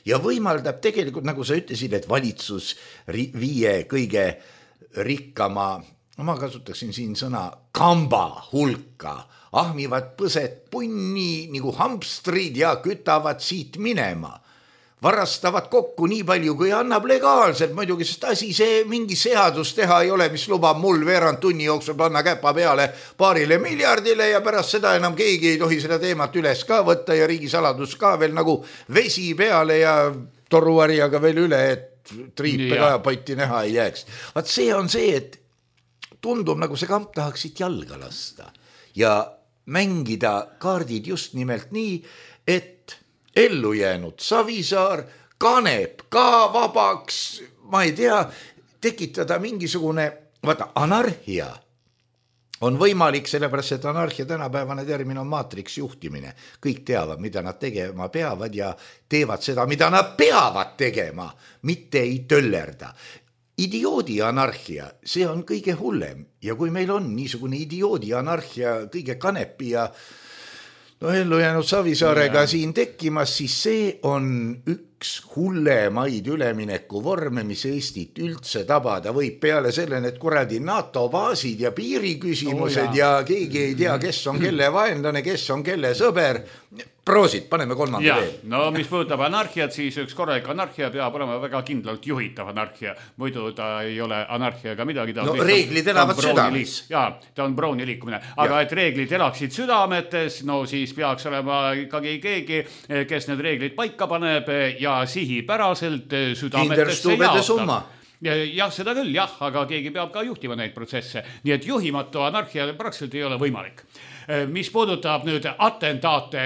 ja võimaldab tegelikult, nagu sa ütlesid, et valitsus 5 kõige rikkama, ma kasutaksin siin sõna kamba hulka, ahmivad põset punni nagu hamstrid ja kütavad siit minema. Varastavad kokku nii palju, kui annab legaalselt, muidugi, sest asi see mingi seadus teha ei ole, mis lubab mul veerand tunni jooksul panna käpa peale 2 miljardile ja pärast seda enam keegi ei tohi seda teemat üles ka võtta ja riigisaladus ka veel nagu vesi peale ja toruvarjaga veel üle, et triipe kajapotti näha ei jääks. Vaat see on see, et tundub nagu see kamp tahaksid jalga lasta ja mängida kaardid just nimelt nii, et ellu jäänud Savisaar, Kanep ka vabaks, ma ei tea, tekitada mingisugune, anarhia on võimalik, sellepärast, et anarhia tänapäevane termin on maatriksjuhtimine. Kõik teavad, mida nad tegema peavad ja teevad seda, mida nad peavad tegema, mitte ei töllerda. Idioodi anarhia, see on kõige hullem ja kui meil on niisugune idioodi anarhia kõige Kanepi ja ellu jäänud Savisaarega siin tekkimas, siis see on üks hullemaid ülemineku vorme, mis Eestit üldse tabada võib peale sellene, et kuradi NATO baasid ja piiriküsimused ja keegi ei tea, kes on kelle vaenlane, kes on kelle sõber. Proosid, paneme kolmanda veel. No mis puudutab anarhiat, siis üks korralik anarhia peab olema väga kindlalt juhitav anarhia. Muidu ta ei ole anarhiaga midagi. No reeglid elavad südames. Jaa, ta on Browni liikumine. Aga et reeglid elaksid südametes, no siis peaks olema ikkagi keegi, kes need reeglid paika paneb ja sihipäraselt südametesse jaotab. Jah, seda küll, jah, aga keegi peab ka juhtima neid protsesse. Nii et juhimatu anarhia praktiliselt ei ole võimalik. Mis puudutab nüüd atentaate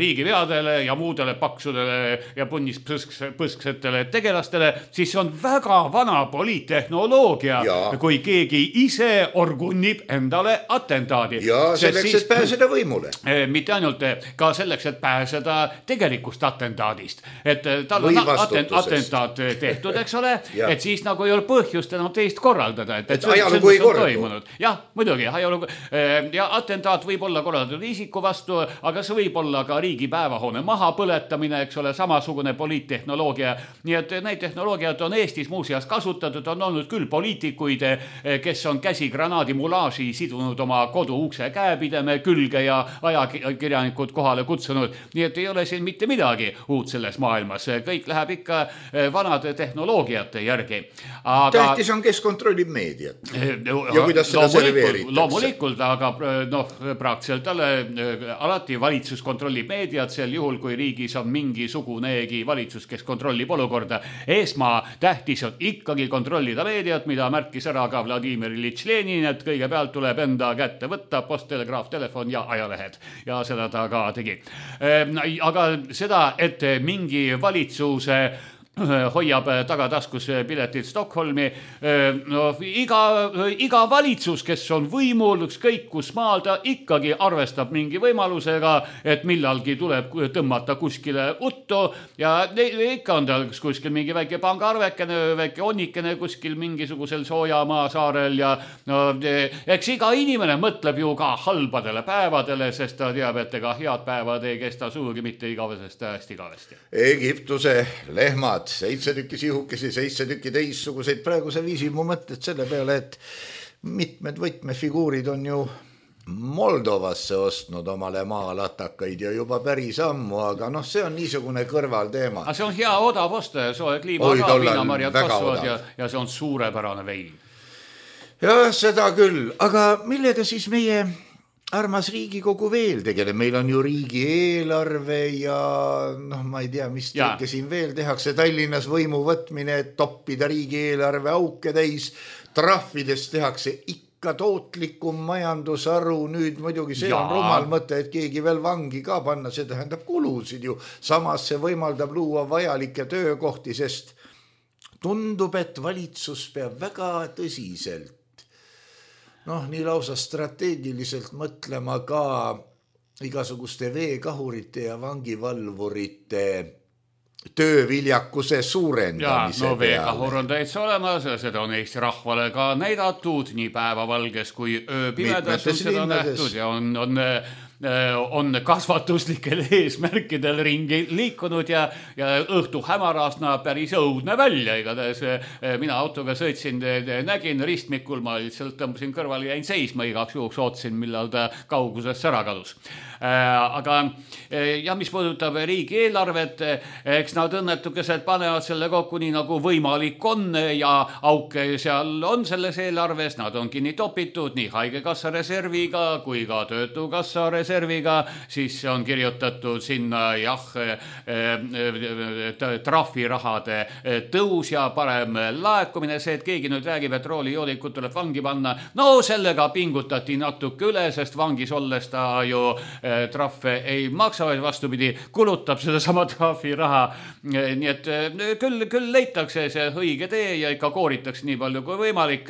riigiveadele ja muudele paksudele ja punnispõsksetele tegelastele, siis on väga vana poliittehnoloogia, kui keegi ise orgunnib endale atentaadi. Ja selleks, et pääseda võimule. Mitte ainult, ka selleks, et pääseda tegelikust atentaadist. Et tal on atentaat tehtud, eks ole, et siis nagu ei ole põhjust enam teist korraldada. Et ajalugu ei korraldu. Jah, muidugi, ajalugu. Ja atentaat võib olla korraldatud isiku vastu, aga see võib olla ka riigi päevahoone maha põletamine, eks ole, samasugune poliittehnoloogia. Nii et neid tehnoloogiat on Eestis muuseas kasutatud, on olnud küll poliitikuid, kes on käsigranaadi mulaaži sidunud oma kodu ukse käepideme külge ja ajakirjanikud kohale kutsunud. Nii et ei ole siin mitte midagi uut selles maailmas. Kõik läheb ikka vanade tehnoloogiate järgi. Tähtis on, kes kontrollib meediat ja kuidas seda serveeritakse. Loomulikult, aga praktiliselt alati valitsus kontrollib meediat sel juhul, kui riigis on mingisugunegi valitsus, kes kontrollib olukorda. Tähtis on ikkagi kontrollida meediat, mida märkis ära ka Vladimir Iljitš Lenin, et kõigepealt tuleb enda kätte võtta posttelegraaf, telefon ja ajalehed. Ja seda ta ka tegi. Aga seda, et mingi valitsuse hoiab tagataskus piletit Stockholmi. No, iga valitsus, kes on võimul, ükskõik kus maal, ta ikkagi arvestab mingi võimalusega, et millalgi tuleb tõmmata kuskile uttu ja ikka on tal kuskil mingi väike pangaarvekene, väike onnikene kuskil mingisugusel Soojamaa saarel ja no, eks iga inimene mõtleb ju ka halbadele päevadele, sest ta teab, et ega head päevad ei kesta suugi mitte igavesest hästi igavesti. Egiptuse lehmad 7 tükki sihukesi, 7 tükki teissuguseid. Praegu see viisi mu mõtted selle peale, et mitmed võtmefiguurid on ju Moldovasse ostnud omale maalatakaid ja juba päris ammu, aga noh, see on niisugune kõrvalteema. Aga see on hea odav osta ja soe kliima ka, viinamarjad kasvavad ja see on suurepärane vein. Ja seda küll, aga millega siis meie armas Riigikogu veel tegeleb, meil on ju riigieelarve ja noh, ma ei tea, mis tõike siin veel tehakse, Tallinnas võimu võtmine, et toppida riigieelarve auke täis, trahvidest tehakse ikka tootlikum majandusharu, nüüd muidugi see on rumal mõte, et keegi veel vangi ka panna, see tähendab kulusid ju, samas see võimaldab luua vajalikke töökohti, sest tundub, et valitsus peab väga tõsiselt nii lausa strateegiliselt mõtlema ka igasuguste veekahurite ja vangivalvurite tööviljakuse suurendamise peale. Veekahur on täitsa olemas, seda on Eesti rahvale ka näidatud, nii päevavalges kui ööpimedas on seda nähtud ja on kasvatuslikel eesmärkidel ringi liikunud ja õhtu hämarast näeb päris õudne välja. Igatahes mina autoga sõitsin, nägin ristmikul, ma lihtsalt tõmbasin kõrval ja jäin seisma igaks juhuks, ootsin, millal ta kaugusesse ära kadus. Aga mis puudutab riigieelarvet, eks nad õnnetukeselt panevad selle kokku nii nagu võimalik on ja auke seal on selles eelarves, nad on kinni topitud nii haigekassa reserviga kui ka töötukassa reserviga, siis on kirjutatud sinna trahvirahade tõus ja parem laekumine, see, et keegi nüüd räägib, et roolijoodikud tuleb vangi panna, no sellega pingutati natuke üle, sest vangis olles ta ju trahve ei maksa, vaid vastupidi, kulutab seda sama trahviraha. Nii et küll leitakse see õige tee ja ikka kooritakse nii palju kui võimalik.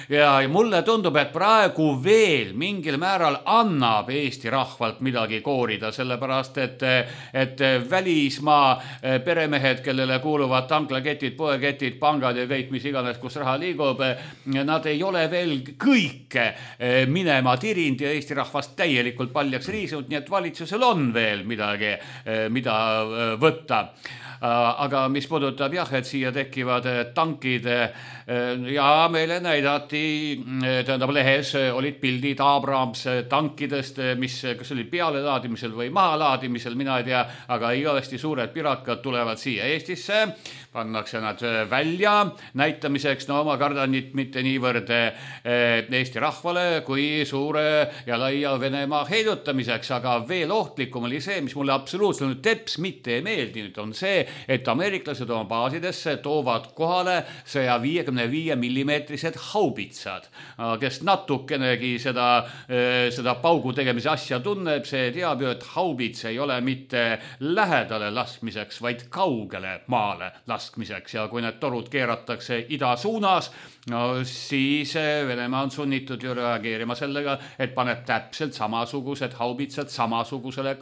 Ja mulle tundub, et praegu veel mingil määral annab Eesti rahvalt midagi koorida, sellepärast, et välismaa peremehed, kellele kuuluvad tanklaketid, poeketid, pangad ja kõik, mis iganes, kus raha liigub, nad ei ole veel kõike minema tirind ja Eesti rahvast täielikult paljaks riisunud, nii et valitsusel on veel midagi, mida võtta. Aga mis puudutab et siia tekivad tankid ja meile näidati tähendab lehes olid pildid Abrams tankidest, mis kas oli pealelaadimisel või mahalaadimisel, mina ei tea, aga igavesti suured pirakad tulevad siia Eestisse, pannakse nad välja näitamiseks, no ma kardan mitte niivõrd Eesti rahvale kui suure ja laia Venemaa heidutamiseks, aga veel ohtlikum oli see, mis mulle absoluutselt teps mitte ei meeldinud, on see, et ameeriklased oma baasidesse toovad kohale 155 millimeetrised haubitsad. Kes natukenegi seda paugu tegemise asja tunneb, see teab ju, et haubits ei ole mitte lähedale laskmiseks, vaid kaugele maale laskmiseks ja kui need torud keeratakse ida suunas, no siis Venemaa on sunnitud ju reageerima sellega, et paneb täpselt samasugused haubitsad samasugusele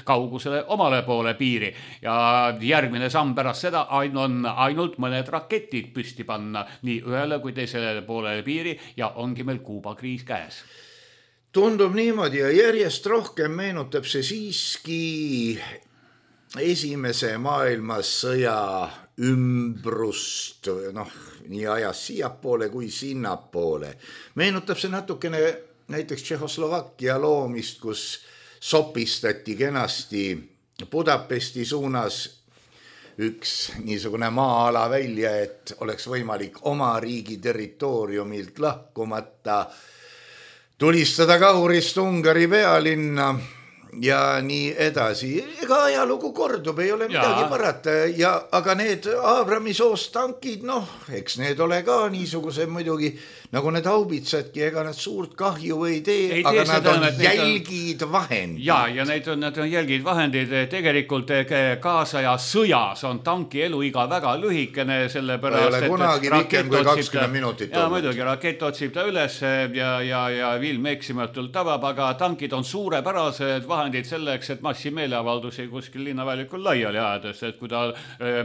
kaugusele omale poole piiri ja järgmine samm pärast seda on ainult mõned raketid püsti panna nii ühele kui teisele poole piiri ja ongi meil Kuuba kriis käes. Tundub niimoodi ja järjest rohkem meenutab see siiski esimese maailmasõja ümbrust, nii ajas siiapoole kui sinnapoole. Meenutab see natukene näiteks Tšehhoslovakkia loomist, kus sopistati kenasti Budapesti suunas üks niisugune maa-ala välja, et oleks võimalik oma riigi territooriumilt lahkumata tulistada kahurist Ungari pealinna ja nii edasi. Ega ajalugu kordub, ei ole midagi parata. Aga need Abrami soost tankid, eks need ole ka niisuguse muidugi, nagu need haubitsadki, ega nad suurt kahju ei tee, aga nad on jälgid vahendid. Ja need on jälgid vahendid. Tegelikult kaasaja sõjas on tanki eluiga väga lühikene, sellepärast, ei ole kunagi pikem kui 20 minutit. Ja muidugi rakett otsib ta üles ja vilm eksimatult tabab, aga tankid on suurepärased vahendid selleks, et massimeeleavaldusi kuskil linnaväljakul laiali ajades, et kui ta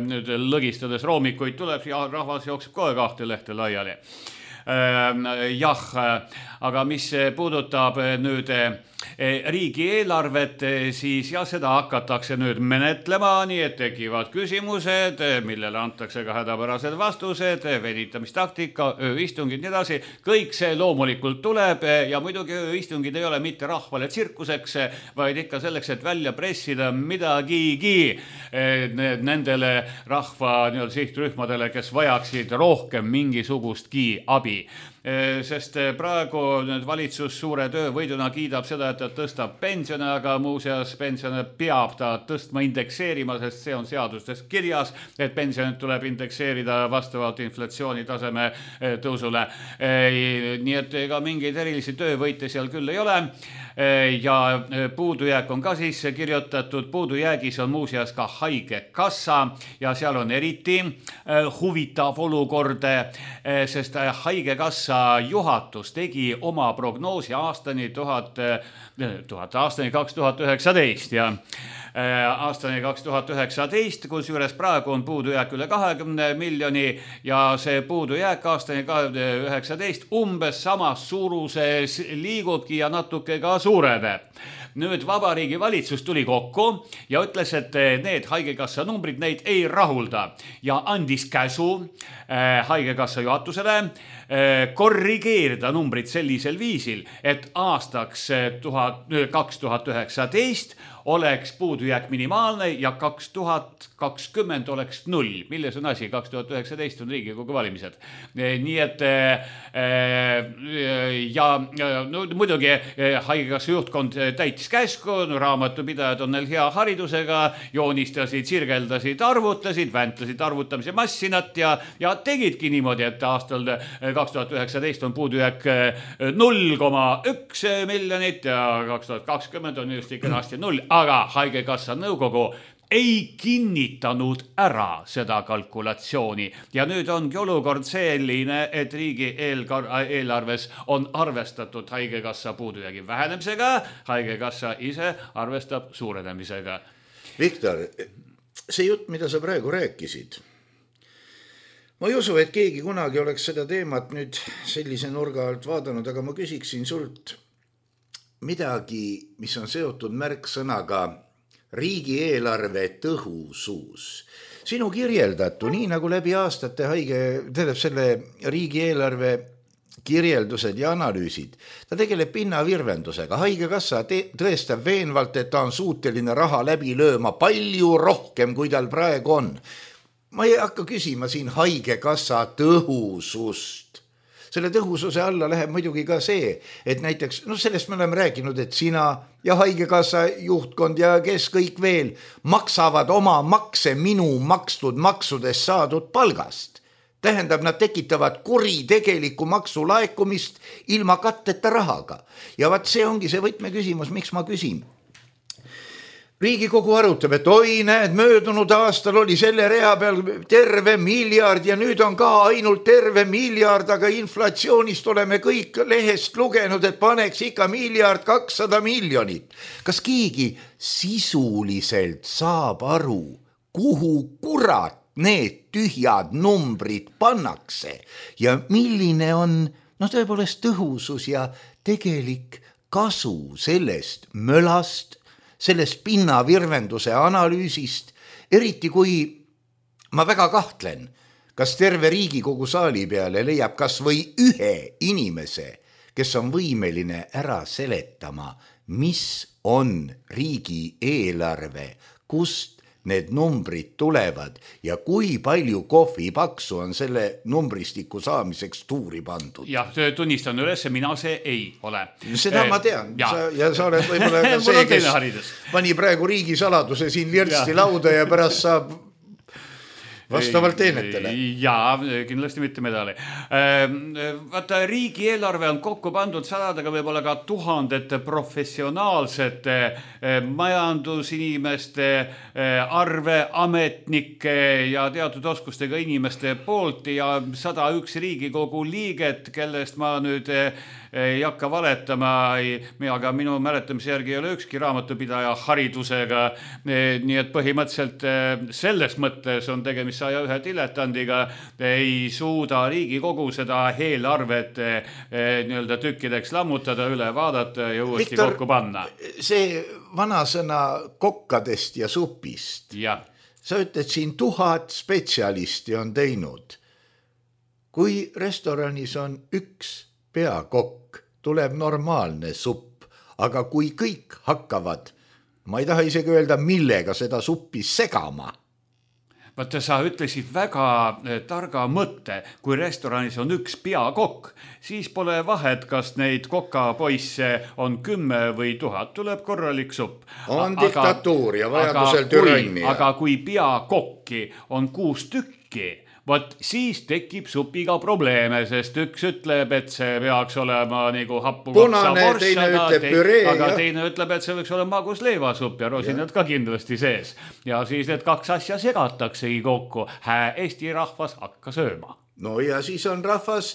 nüüd lõgistades roomikuid tuleb ja rahvas jookseb kohe 2 lehte laiali. Jah, aga mis puudutab nüüd riigieelarvet, siis seda hakatakse nüüd menetlema, nii et tekivad küsimused, millele antakse ka hädapärased vastused, venitamistaktika, ööistungid, nii edasi. Kõik see loomulikult tuleb ja muidugi ööistungid ei ole mitte rahvale tsirkuseks, vaid ikka selleks, et välja pressida midagigi nendele rahva sihtrühmadele, kes vajaksid rohkem mingisugustki abi. Sest praegu valitsus suure töövõiduna kiidab seda, et ta tõstab pensione, aga muuseas pensione peab ta tõstma indekseerima, sest see on seadustes kirjas, et pensionid tuleb indekseerida vastavalt inflatsiooni taseme tõusule. Nii et ega mingeid erilisi töövõite seal küll ei ole. Ja puudujääk on ka sisse kirjutatud, puudujäägis on muuseas ka haigekassa ja seal on eriti huvitav olukord, sest haigekassa juhatus tegi oma prognoosi aastani 2019 ja aastani 2019, kus juures praegu on puudujääk üle 20 miljoni ja see puudujääk aastani 2019 umbes samas suuruses liigubki ja natuke ka suureneb. Nüüd Vabariigi valitsus tuli kokku ja ütles, et need haigekassa numbrid neid ei rahulda ja andis käsu haigekassa juhatusele korrigeerida numbrid sellisel viisil, et aastaks 2019 oleks puudujääk minimaalne ja 2020 oleks 0. Milles on asi? 2019 on Riigikogu valimised. Nii et muidugi haigekassa juhtkond täitis käsku, raamatupidajad on neil hea haridusega, joonistasid, sirgeldasid, arvutasid, väntasid arvutamise massinat ja tegidki niimoodi, et aastal 2019 on puudujääk 0,1 miljonit ja 2020 on just ikka kenasti 0, aga haigekassa nõukogu ei kinnitanud ära seda kalkulatsiooni ja nüüd ongi olukord selline, et riigi eelarves on arvestatud haigekassa puudujäägi vähenemisega, haigekassa ise arvestab suurenemisega. Viktor, see jutt, mida sa praegu rääkisid, ma ei usu, et keegi kunagi oleks seda teemat nüüd sellise nurga alt vaadanud, aga ma küsiksin sult midagi, mis on seotud märksõnaga riigieelarve tõhusus. Sinu kirjeldatu, nii nagu läbi aastate selle riigieelarve kirjeldused ja analüüsid. Ta tegeleb pinnavirvendusega. Haigekassa tõestab veenvalt, et ta on suuteline raha läbi lööma palju rohkem, kui tal praegu on. Ma ei hakka küsima siin haigekassa tõhusust. Selle tõhususe alla läheb muidugi ka see, et näiteks, sellest me oleme rääkinud, et sina ja haigekassa juhtkond ja kes kõik veel maksavad oma makse minu makstud maksudest saadud palgast. Tähendab, nad tekitavad kuritegelikku maksulaekumist ilma katteta rahaga. Ja vaat see ongi see võtmeküsimus, miks ma küsin. Riigikogu arutab, et oi, näed, möödunud aastal oli selle rea peal terve miljard ja nüüd on ka ainult terve miljard, aga inflatsioonist oleme kõik lehest lugenud, et paneks ikka 1,2 miljardit. Kas keegi sisuliselt saab aru, kuhu kurat need tühjad numbrid pannakse ja milline on tõepoolest tõhusus ja tegelik kasu sellest mölast, sellest pinnavirvenduse analüüsist, eriti kui ma väga kahtlen, kas terve Riigikogu saali peale leiab kas või ühe inimese, kes on võimeline ära seletama, mis on riigieelarve, kust need numbrid tulevad ja kui palju kohvipaksu on selle numbristiku saamiseks tuuri pandud. Jah, tunnistan üles, mina see ei ole. Seda ma tean. Ja sa oled võib-olla ka see, kes pani praegu riigisaladuse siin lirsti lauda ja pärast saab vastavalt teenetele. Jaa, kindlasti mitte medali. Vaata, riigieelarve on kokku pandud sadadega, võib-olla ka tuhandete professionaalsete majandusinimeste, arve, ametnike ja teatud oskustega inimeste poolt ja 101 Riigikogu liiget, kellest ma nüüd ei hakka valetama, aga minu mäletamise järgi ei ole ükski raamatupidaja haridusega, nii et põhimõtteliselt selles mõttes on tegemist 101 diletandiga, ei suuda Riigikogu seda eelarvet nii-öelda tükkideks lammutada, üle vaadata ja uuesti kokku panna. See vanasõna kokkadest ja supist. Ja. Sa ütled siin 1000 spetsialisti on teinud. Kui restoranis on üks peakokk, tuleb normaalne supp, aga kui kõik hakkavad, ma ei taha isegi öelda, millega seda suppi segama. Vaata, sa ütlesid väga targa mõtte, kui restoranis on üks peakokk, siis pole vahet, kas neid kokapoisse on 10 või 1000, tuleb korralik supp. On diktatuur ja vajadusel türannia. Aga kui peakokki on 6 tükki, Vot siis tekib supiga probleeme, sest üks ütleb, et see peaks olema nagu happukoksa vorst, aga teine ütleb, et see võiks olla magus leivasupp ja rosinad ka kindlasti sees. Ja siis need kaks asja segataksegi kokku. Eesti rahvas hakka sööma. No ja siis on rahvas,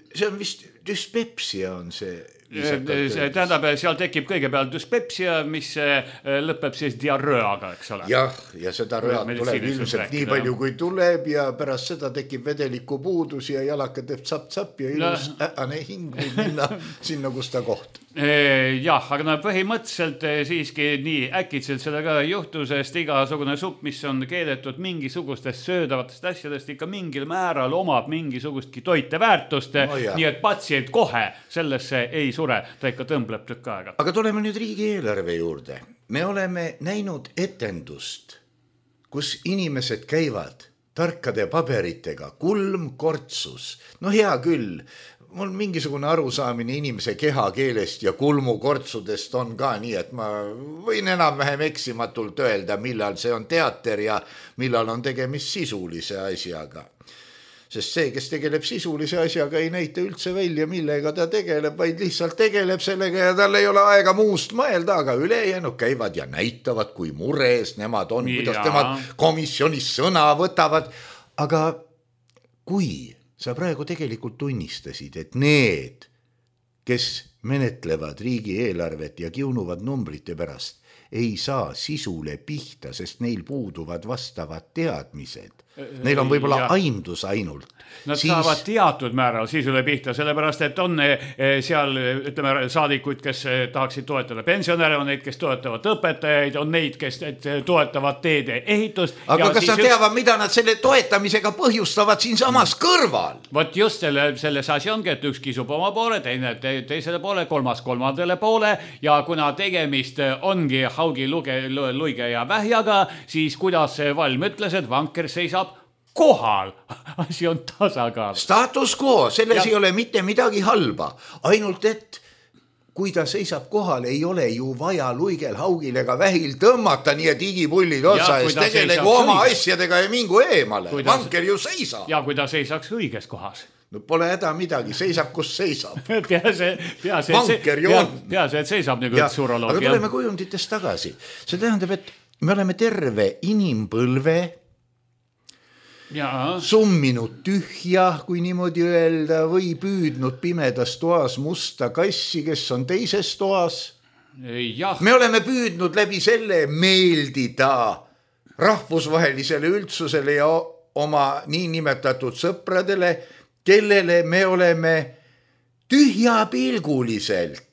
see on vist dyspepsia on see. Tähendab, seal tekib kõigepealt dyspepsia, mis lõpeb siis diarröaga, eks ole. Jah, ja seda röad tuleb ilmselt nii palju, kui tuleb ja pärast seda tekib vedeliku puudus ja jalaka teeb tsapp-tsapp ja ilus äane hing võib minna sinna, kus ta koht. Jah, aga põhimõtteliselt siiski nii äkitselt seda ka ei juhtu, sest igasugune supp, mis on keedetud mingisugustest söödavatest asjadest, ikka mingil määral omab mingisugustki toiteväärtust, nii et patsient kohe sellesse ei sure, ta ikka tõmbleb tükk aega. Aga tuleme nüüd riigieelarve juurde. Me oleme näinud etendust, kus inimesed käivad tarkade paberitega, kulm kortsus. No hea küll, mul mingisugune arusaamine inimese kehakeelest ja kulmukortsudest on ka nii, et ma võin enam-vähem eksimatult öelda, millal see on teater ja millal on tegemist sisulise asjaga. Sest see, kes tegeleb sisulise asjaga, ei näita üldse välja, millega ta tegeleb, vaid lihtsalt tegeleb sellega ja tal ei ole aega muust mõelda, aga ülejäänud käivad ja näitavad, kui mures nemad on, kuidas temad komisjonis sõna võtavad. Aga kui sa praegu tegelikult tunnistasid, et need, kes menetlevad riigieelarvet ja kiunuvad numbrite pärast, ei saa sisule pihta, sest neil puuduvad vastavad teadmised. Neil on võib-olla aimdus ainult. Nad saavad teatud määral sisule pihta, sellepärast, et on seal, ütleme, saadikuid, kes tahaksid toetada pensionäre, on neid, kes toetavad õpetajaid, on neid, kes toetavad teede ehitust. Aga kas nad teavad, mida nad selle toetamisega põhjustavad siin samas kõrval? Vot just selles asi ongi, et üks kisub oma poole, teine teisele poole, kolmas kolmandale poole ja kuna tegemist ongi haugi, luige ja vähjaga, siis kuidas Valm ütles, et vanker seisab kohal. Asi on tasakaal. Status quo, selles ei ole mitte midagi halba. Ainult, et kui ta seisab kohal, ei ole ju vaja luigel, haugil ega vähil tõmmata, nii et igipullid otsa ees tegelegu oma asjadega ja mingu eemale. Vanker ju seisab. Ja kui ta seisaks õiges kohas. No pole häda midagi, seisab, kus seisab. Vanker ju on. Pease, et seisab nagu üks uroloog. Aga tuleme kujunditest tagasi. See tähendab, et me oleme terve inimpõlve summinud tühja, kui niimoodi öelda, või püüdnud pimedas toas musta kassi, kes on teises toas. Me oleme püüdnud läbi selle meeldida rahvusvahelisele üldsusele ja oma niinimetatud sõpradele, kellele me oleme tühjapilguliselt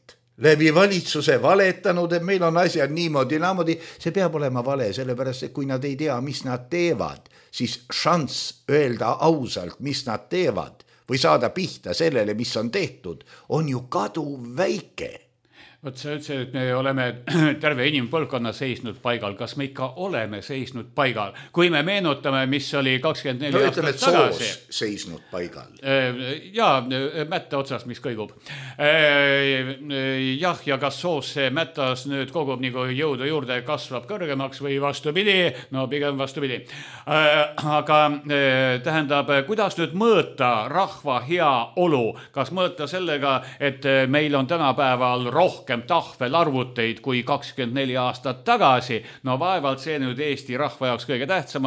läbi valitsuse valetanud, et meil on asjad niimoodi, naamodi. See peab olema vale, sellepärast, et kui nad ei tea, mis nad teevad, siis šanss öelda ausalt, mis nad teevad või saada pihta sellele, mis on tehtud, on ju kaduv väike. Vot sa ütlesid, et me oleme terve inimpõlvkonna seisnud paigal. Kas me ikka oleme seisnud paigal? Kui me meenutame, mis oli 24 aastat tagasi. Soos seisnud paigal. Jaa, mätta otsas, mis kõigub. Jah, ja kas soos see mättas nüüd kogub nagu jõudu juurde kasvab kõrgemaks või vastupidi? No pigem vastupidi. Aga tähendab, kuidas nüüd mõõta rahva hea olu? Kas mõõta sellega, et meil on tänapäeval rohkem tahvelarvuteid kui 24 aastat tagasi. No vaevalt see nüüd Eesti rahva jaoks kõige tähtsam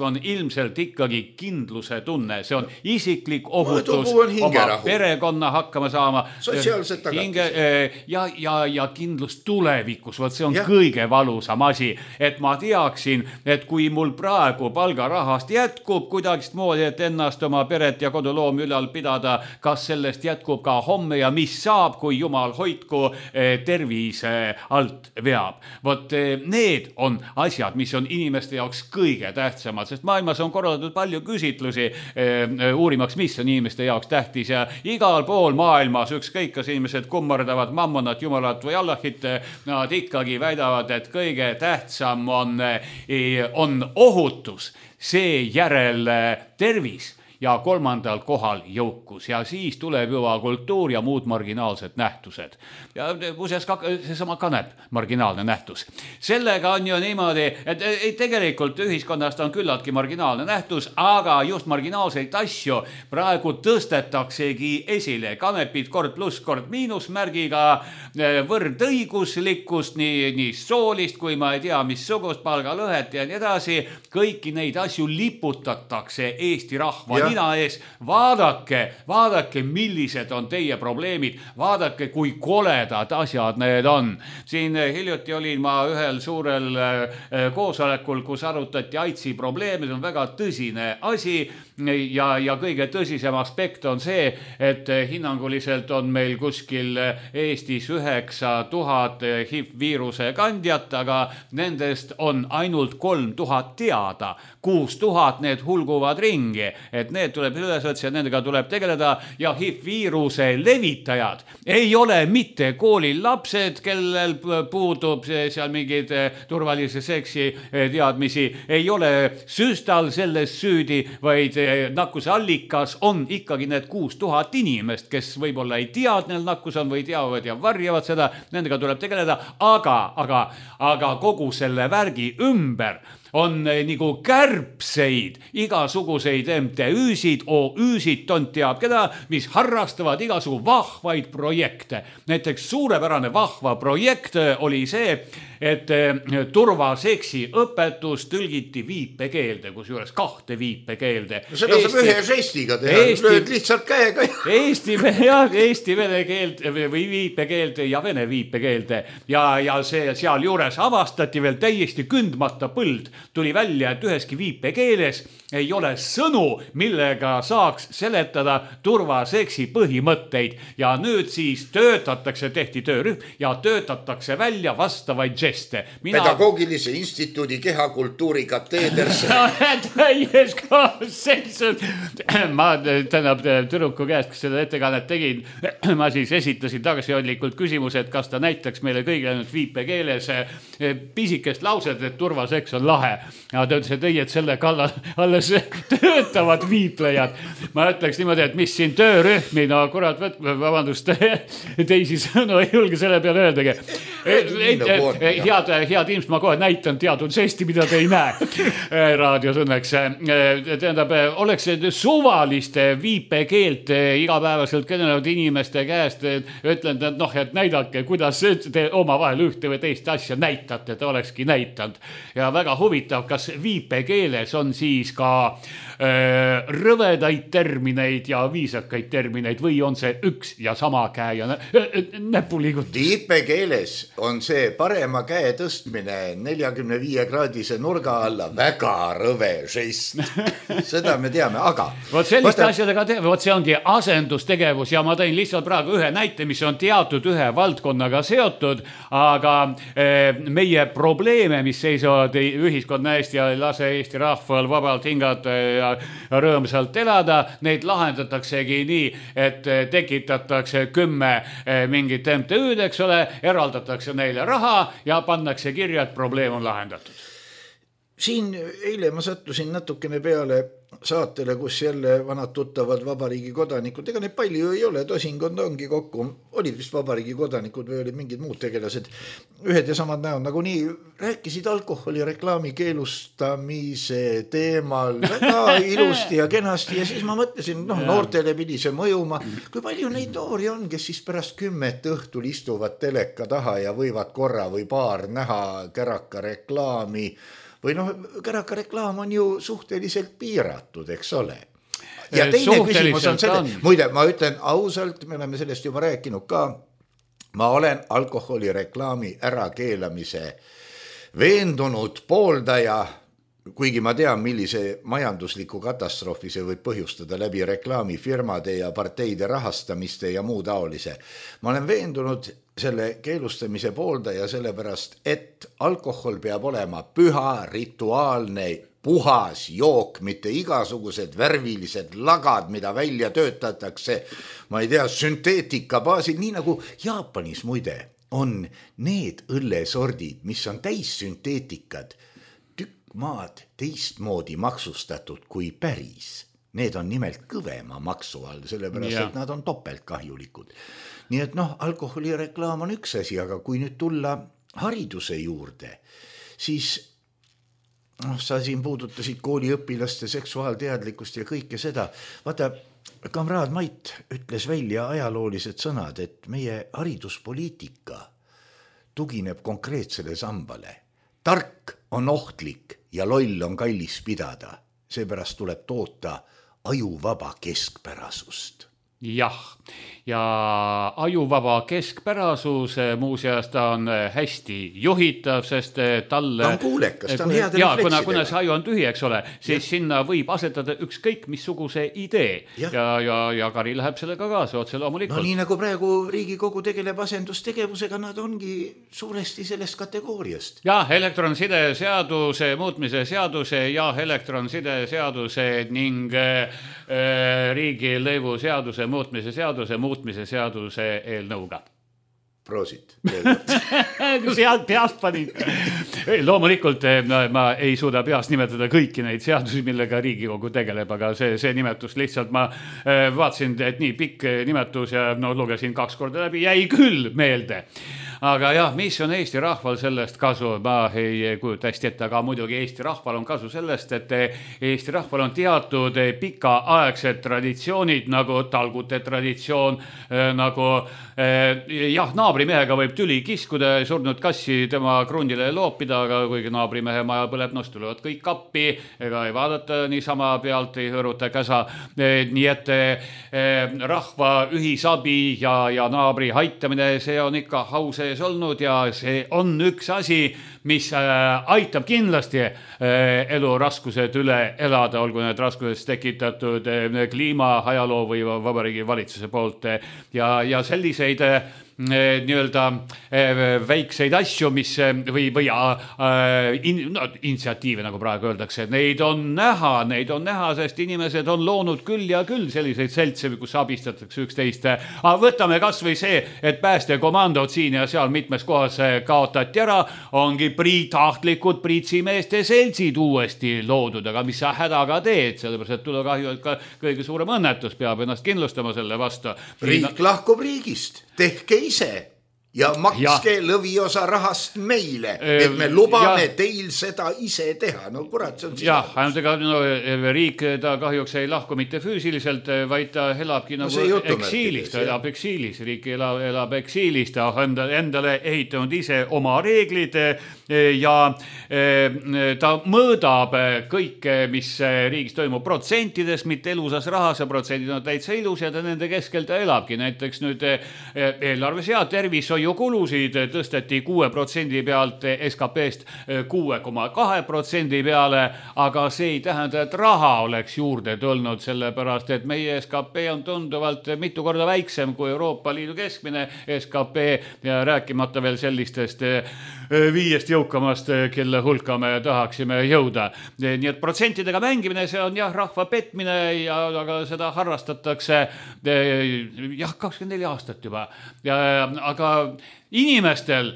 on ilmselt ikkagi kindluse tunne. See on isiklik ohutus, oma perekonna hakkama saama. Sotsiaalsed tagatis. Ja kindlus tulevikus. Vot see on kõige valusam asi. Et ma teaksin, et kui mul praegu palgarahast jätkub kuidagist moodi, et ennast oma peret ja koduloomi ülal pidada, kas sellest jätkub ka homme ja mis saab, kui jumal hoidku tervise alt veab. Vot need on asjad, mis on inimeste jaoks kõige tähtsamad, sest maailmas on korraldatud palju küsitlusi uurimaks, mis on inimeste jaoks tähtis ja igal pool maailmas ükskõik, kas inimesed kummardavad mammonat, jumalat või Allahit, nad ikkagi väidavad, et kõige tähtsam on ohutus, seejärel tervis ja kolmandal kohal jõukus ja siis tuleb juba kultuur ja muud marginaalsed nähtused. Ja seesama kanep, marginaalne nähtus. Sellega on ju niimoodi, et tegelikult ühiskonnast on küllaltki marginaalne nähtus, aga just marginaalseid asju praegu tõstetaksegi esile. Kanepid kord pluss, kord miinusmärgiga, võrdõiguslikkust, nii soolist kui ma ei tea, mis sugust palgalõhet ja nii edasi. Kõiki neid asju liputatakse Eesti rahva nina ees. Vaadake, millised on teie probleemid. Vaadake, kui koledad asjad need on. Siin hiljuti olin ma ühel suurel koosolekul, kus arutati AIDSi probleeme. See on väga tõsine asi ja kõige tõsisem aspekt on see, et hinnanguliselt on meil kuskil Eestis 9000 HIV-viiruse kandjat, aga nendest on ainult 3000 teada. 6000 need hulguvad ringi, et need tuleb üles võtta ja nendega tuleb tegeleda ja HIV-viiruse levitajad ei ole mitte koolil lapsed, kellel puudub seal mingid turvalise seksi teadmisi, ei ole süstal selles süüdi, vaid nakkuse allikas on ikkagi need 6000 inimest, kes võib-olla ei tea, et neil nakkus on või teavad ja varjavad seda, nendega tuleb tegeleda, aga kogu selle värgi ümber on nagu kärbseid, igasuguseid MTÜ MTÜ-sid, OÜ-sid, tont teab keda, mis harrastavad igasugu vahvaid projekte. Näiteks suurepärane vahva projekt oli see, et turvaseksi õpetus tõlgiti viipekeelde, kusjuures 2 viipekeelde. Seda saab ühe žestiga teha, lööd lihtsalt käega. Eesti vene keeld või viipekeelde ja vene viipekeelde ja see seal juures avastati veel täiesti kündmata põld. Tuli välja, et üheski viipekeeles ei ole sõnu, millega saaks seletada turvaseksi põhimõtteid ja nüüd siis tehti töörühm ja töötatakse välja vastavaid žeste. Pedagoogilise instituudi kehakultuuri kateeders. Täies kaasseisus. Ma tüdruku käest, kes seda ettekannet tegin, ma siis esitasin tagasihoidlikult küsimuse, et kas ta näitaks meile kõigile nüüd viipekeeles pisikest lauset, et turvaseks on lahe. Ja ta ütles, et ei, et selle kallal alles töötavad viiplejad. Ma ütleks niimoodi, et mis siin töörühmi, no kurat, vabandust, teisi sõnu ei julge selle peale öeldagi. Head inimesed, ma kohe näitan teatud žesti, mida te ei näe raadios õnneks. Tähendab, oleks suvaliste viipekeelt igapäevaselt kõnelevad inimeste käest, ütlen, et noh, et näidake, kuidas te oma vahel ühte või teist asja näitate, te olekski näitanud. Ja väga huvitav, kas viipekeeles on siis ka rõvedaid termineid ja viisakaid termineid või on see üks ja sama käe ja näpuliigutus? Viipekeeles on see parema käe tõstmine 45-kraadise nurga alla väga rõve žest. Seda me teame, aga vot selliste asjadega teeme, vot see ongi asendustegevus ja ma tõin lihtsalt praegu ühe näite, mis on teatud ühe valdkonnaga seotud, aga meie probleeme, mis seisavad ühiskonna eest ja ei lase Eesti rahval vabalt hingata ja rõõmsalt elada, neid lahendataksegi nii, et tekitatakse 10 mingit MTÜ-d, eks ole, eraldatakse neile raha ja pannakse kirja, et probleem on lahendatud. Siin eile ma sattusin natukene peale saatele, kus jälle vanad tuttavad vabariigi kodanikud, ega neid palju ei ole, tosinkond ongi kokku, olid vist vabariigi kodanikud või olid mingid muud tegelased, ühed ja samad näod, nagu nii rääkisid alkoholireklaami keelustamise teemal väga ilusti ja kenasti ja siis ma mõtlesin, noortele pidi see mõjuma, kui palju neid noori on, kes siis pärast 10 õhtul istuvad teleka taha ja võivad korra või paar näha käraka reklaami või käraka reklaam on ju suhteliselt piiratud, eks ole. Ja teine küsimus on selle, muide, ma ütlen ausalt, me oleme sellest juba rääkinud ka, ma olen alkoholireklaami ärakeelamise veendunud pooldaja, kuigi ma tean, millise majandusliku katastroofi see võib põhjustada läbi reklaamifirmade ja parteide rahastamiste ja muu taolise. Ma olen veendunud selle keelustamise pooldaja sellepärast, et alkohol peab olema püha, rituaalne, puhas jook, mitte igasugused värvilised lagad, mida välja töötatakse, ma ei tea, sünteetika baasil, nii nagu Jaapanis muide on need õllesordid, mis on täis sünteetikad, maad teistmoodi maksustatud kui päris. Need on nimelt kõvema maksu all, sellepärast, et nad on topeltkahjulikud. Nii et alkoholireklaam on üks asi, aga kui nüüd tulla hariduse juurde, siis sa siin puudutasid kooliõpilaste seksuaalteadlikkust ja kõike seda. Vaata, kamraad Mait ütles välja ajaloolised sõnad, et meie hariduspoliitika tugineb konkreetsele sambale. Tark on ohtlik ja loll on kallis pidada. Seepärast tuleb toota ajuvaba keskpärasust. Jah, ja ajuvaba keskpärasus muuseas ta on hästi juhitav, sest talle... Ta on kuulekas, ta on heade refleksidega. Kuna see aju on tühi, eks ole, siis sinna võib asetada ükskõik missuguse idee ja Kari läheb sellega kaasa otse loomulikult. Nii nagu praegu Riigikogu tegeleb asendustegevusega, nad ongi suuresti sellest kategooriast. Jah, elektronside seaduse muutmise seaduse ja elektronsiде seaduse ning riigilõivu seaduse muutmise seaduse eelnõuga. Proosit. Sealt peast panin. Loomulikult ma ei suuda peast nimetada kõiki neid seadusi, millega Riigikogu tegeleb, aga see nimetus lihtsalt ma vaatasin, et nii pikk nimetus ja lugesin 2 korda läbi, jäi küll meelde. aga jah, mis on Eesti rahval sellest kasu? Ma ei kujuta hästi ette, aga muidugi Eesti rahval on kasu sellest, et Eesti rahval on teatud pikaaegsed traditsioonid, nagu talgute traditsioon, nagu jah, naabrimehega võib tüli kiskuda, surnud kassi tema krundile loopida, aga kuigi naabrimehe maja põleb, tulevad kõik kappi, ega ei vaadata niisama pealt, ei hõõruta käsa. Nii et rahva ühisabi ja naabri aitamine, see on ikka au sees olnud ja see on üks asi, mis aitab kindlasti elu raskused üle elada, olgu need raskused tekitatud kliima, ajaloo või Vabariigi valitsuse poolt ja selliseid nii-öelda väikseid asju, mis või initsiatiive, nagu praegu öeldakse, neid on näha, sest inimesed on loonud küll ja küll selliseid seltse, kus abistatakse üksteist. Aga võtame kas või see, et päästekomandod siin ja seal mitmes kohas kaotati ära, ongi tahtlikud priitsimeeste seltsid uuesti loodud, aga mis sa hädaga teed, sellepärast, et tulekahju, et ka kõige suurem õnnetus peab ennast kindlustama selle vastu. Riik lahkub riigist, tehke ise ja makske lõviosa rahast meile, et me lubame teil seda ise teha. No kurat, see on jah, ainult ega riik ta kahjuks ei lahku mitte füüsiliselt, vaid ta elabki nagu eksiilis, ta elab eksiilis, riik elab eksiilis, ta on endale ehitanud ise oma reeglid ja ta mõõdab kõike, mis riigis toimub protsentides, mitte elusas rahas ja protsendid on täitsa ilus ja ta nende keskel ta elabki. Näiteks nüüd eelarves ja tervishoiukulusid tõsteti 6% pealt SKP-st 6,2% peale, aga see ei tähenda, et raha oleks juurde tulnud, sellepärast, et meie SKP on tunduvalt mitu korda väiksem kui Euroopa Liidu keskmine SKP ja rääkimata veel sellistest 5 jõukamast, kelle hulka me tahaksime jõuda. Nii et protsentidega mängimine, see on jah, rahva petmine ja aga seda harrastatakse jah, 24 aastat juba. Aga inimestel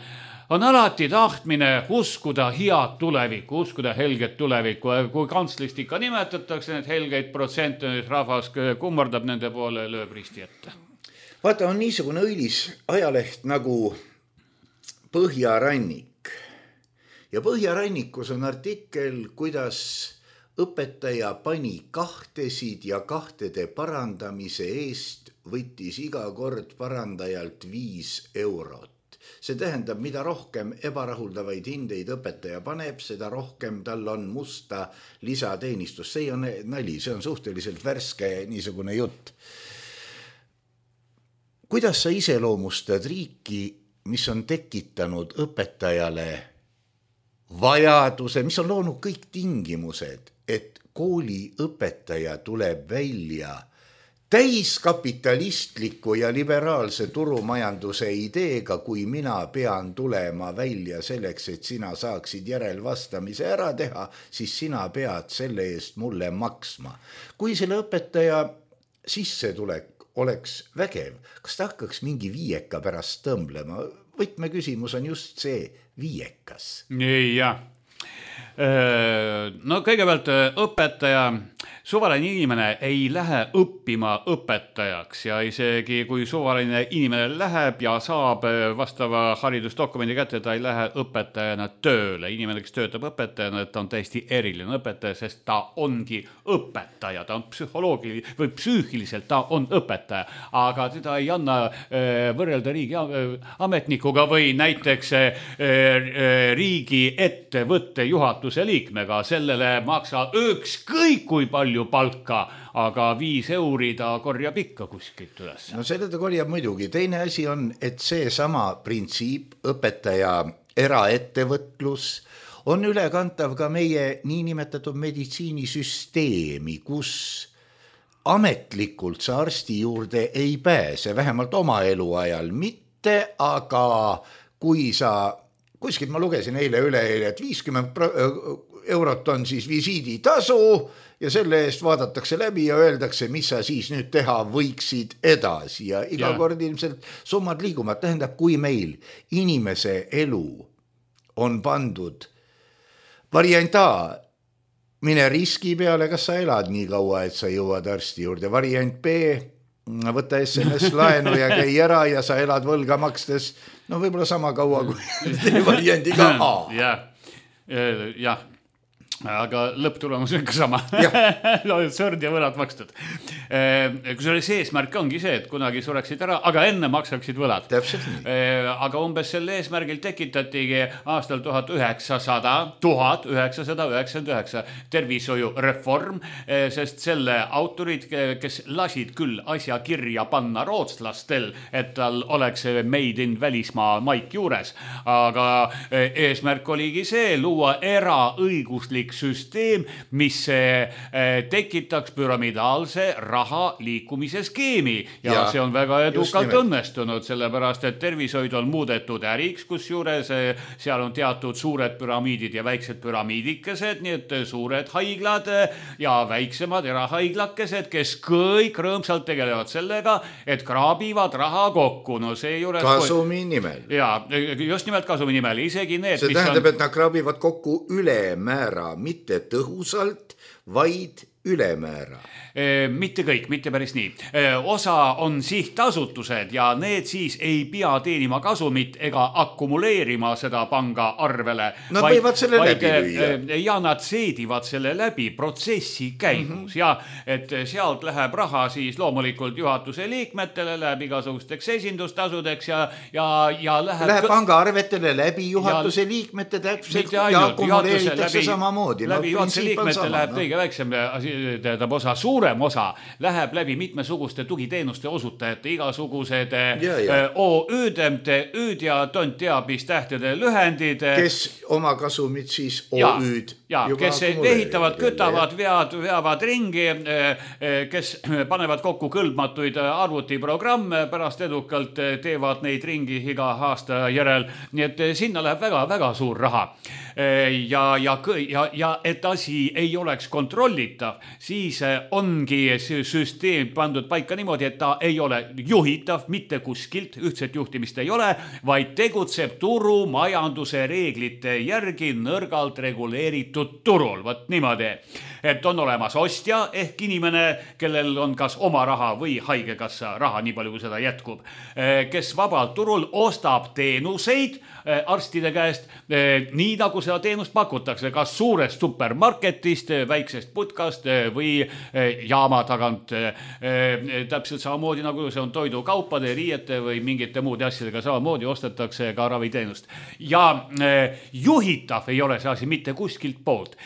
on alati tahtmine uskuda head tulevikku, uskuda helget tulevikku. Kui kantslist ikka nimetatakse need helgeid protsente, rahvas kummardab nende poole, lööb risti ette. Vaata, on niisugune õilis ajaleht nagu Põhjarannik. Ja Põhjarannikus on artikkel, kuidas õpetaja pani kahtesid ja kahtede parandamise eest võttis iga kord parandajalt 5 eurot. See tähendab, mida rohkem ebarahuldavaid hindeid õpetaja paneb, seda rohkem tal on musta lisateenistus. See on nali, see on suhteliselt värske niisugune jutt. Kuidas sa iseloomustad riiki, mis on tekitanud õpetajale vajaduse, mis on loonud kõik tingimused, et kooliõpetaja tuleb välja täiskapitalistliku ja liberaalse turumajanduse ideega, kui mina pean tulema välja selleks, et sina saaksid järelvastamise ära teha, siis sina pead selle eest mulle maksma. Kui selle õpetaja sissetulek oleks vägev, kas ta hakkaks mingi viieka pärast tõmblema? Võtmeküsimus on just see viiekas. Jah. No kõigepealt õpetaja, suvaline inimene ei lähe õppima õpetajaks ja isegi kui suvaline inimene läheb ja saab vastava haridusdokumendi kätte, ta ei lähe õpetajana tööle. Inimene, kes töötab õpetajana, ta on täiesti eriline õpetaja, sest ta ongi õpetaja, ta on psühholoogiliselt või psüühiliselt, ta on õpetaja, aga teda ei anna võrrelda riigi ametnikuga või näiteks riigi ettevõtte juhatuse liikmega, sellele maksa ükskõik kui palju palka, aga 5 euri ta korjab ikka kuskilt üles. No selle ta korjab muidugi. Teine asi on, et see sama printsiip, õpetaja eraettevõtlus, on ülekantav ka meie niinimetatud meditsiinisüsteemi, kus ametlikult sa arsti juurde ei pääse, vähemalt oma eluajal mitte, aga kui sa, kuskilt ma lugesin üleeile, et 50 eurot on siis visiiditasu ja selle eest vaadatakse läbi ja öeldakse, mis sa siis nüüd teha võiksid edasi ja iga kord ilmselt summad liiguvad. Tähendab, kui meil inimese elu on pandud variant A, mine riski peale, kas sa elad nii kaua, et sa jõuad arsti juurde. Variant B, võta SMS laenu ja käi ära ja sa elad võlga makstes no võib-olla sama kaua kui variandiga A. jah, aga lõpptulemus on ikka sama. Sõrd ja võlad makstud. Kusjuures eesmärk ongi see, et kunagi sureksid ära, aga enne maksaksid võlad. Täpselt nii. Aga umbes selle eesmärgil tekitatigi aastal 1999 tervishoiureform, sest selle autorid, kes lasid küll asja kirja panna rootslastel, et tal oleks made in välismaa maik juures, aga eesmärk oligi see, luua eraõiguslik süsteem, mis tekitaks püramidaalse raha liikumise skeemi ja see on väga edukalt õnnestunud, sellepärast et tervishoid on muudetud äriks, kus juures seal on teatud suured püramiidid ja väiksed püramiidikesed, nii et suured haiglad ja väiksemad erahaiglakesed, kes kõik rõõmsalt tegelevad sellega, et kraabivad raha kokku. No see juures kasumi nimel. Ja, just nimelt kasumi nimel. Isegi need, see tähendab, et nad kraabivad kokku ülemäära, mitte tõhusalt, vaid ülemäära. Mitte kõik, mitte päris nii. Osa on sihtasutused ja need siis ei pea teenima kasumit ega akkumuleerima seda panga arvele. Nad võivad selle läbi lüüa. Ja nad seedivad selle läbi protsessi käigus ja et sealt läheb raha siis loomulikult juhatuse liikmetele, läheb igasugusteks esindustasudeks ja läheb panga arvetele läbi juhatuse liikmete täpselt ja akkumuleeritakse samamoodi. Läbi juhatuse liikmete läheb kõige väiksem osa, suurem osa läheb läbi mitmesuguste tugiteenuste osutajate, igasugused ÖÜD ja tont teab, mis tähtede lühendid. Kes oma kasumid siis OÜD kes ehitavad, kütavad, veavad ringi, kes panevad kokku kõlbmatuid arvutiprogramme, pärast edukalt teevad neid ringi iga aasta järel. Nii et sinna läheb väga-väga suur raha. Ja et asi ei oleks kontrollitav, siis ongi süsteem pandud paika niimoodi, et ta ei ole juhitav mitte kuskilt, ühtset juhtimist ei ole, vaid tegutseb turumajanduse reeglite järgi nõrgalt reguleeritud turul. Võt niimoodi, et on olemas ostja ehk inimene, kellel on kas oma raha või haigekassa raha, nii palju kui seda jätkub, kes vabalt turul ostab teenuseid arstide käest, nii nagu seda teenust pakutakse, kas suurest supermarketist, väiksest putkast või jaama tagant. Täpselt samamoodi nagu see on toidukaupade, riiete või mingite muude asjadega, samamoodi ostetakse ka raviteenust. Ja juhitav ei ole see asi mitte kuskilt poolt.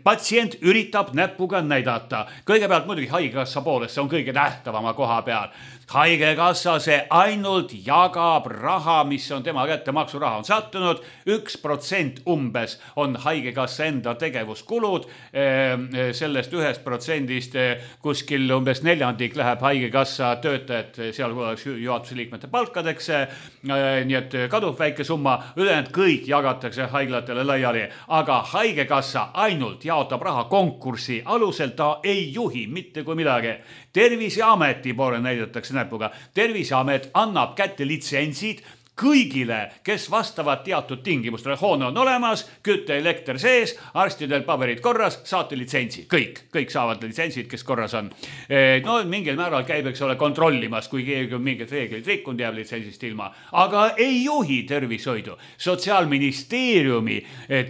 Patsient üritab näpuga näidata. Kõigepealt muidugi haigekassa poolest, see on kõige tähtavama koha peal. Haigekassa see ainult jagab raha, mis on tema kätte, maksuraha on sattunud, 1% umbes on haigekassa enda tegevuskulud, sellest 1% kuskil umbes 4% läheb haigekassa töötajad, seal juhatuse liikmete palkadeks, nii et kadub väike summa, ülejäänud kõik jagatakse haiglatele laiali, aga haigekassa ainult jaotab raha konkursi alusel, ta ei juhi mitte kui midagi. Terviseameti poole näidatakse näpuga. Terviseamet annab kätte litsentsid kõigile, kes vastavad teatud tingimustele. Hoone on olemas, kütte, elekter sees, arstidel paberid korras, saate litsentsi. Kõik saavad litsentsid, kes korras on. No mingil määral käib, eks ole, kontrollimas, kui keegi on mingid reeglid rikkunud, jääb litsentsist ilma. Aga ei juhi tervishoidu. Sotsiaalministeeriumi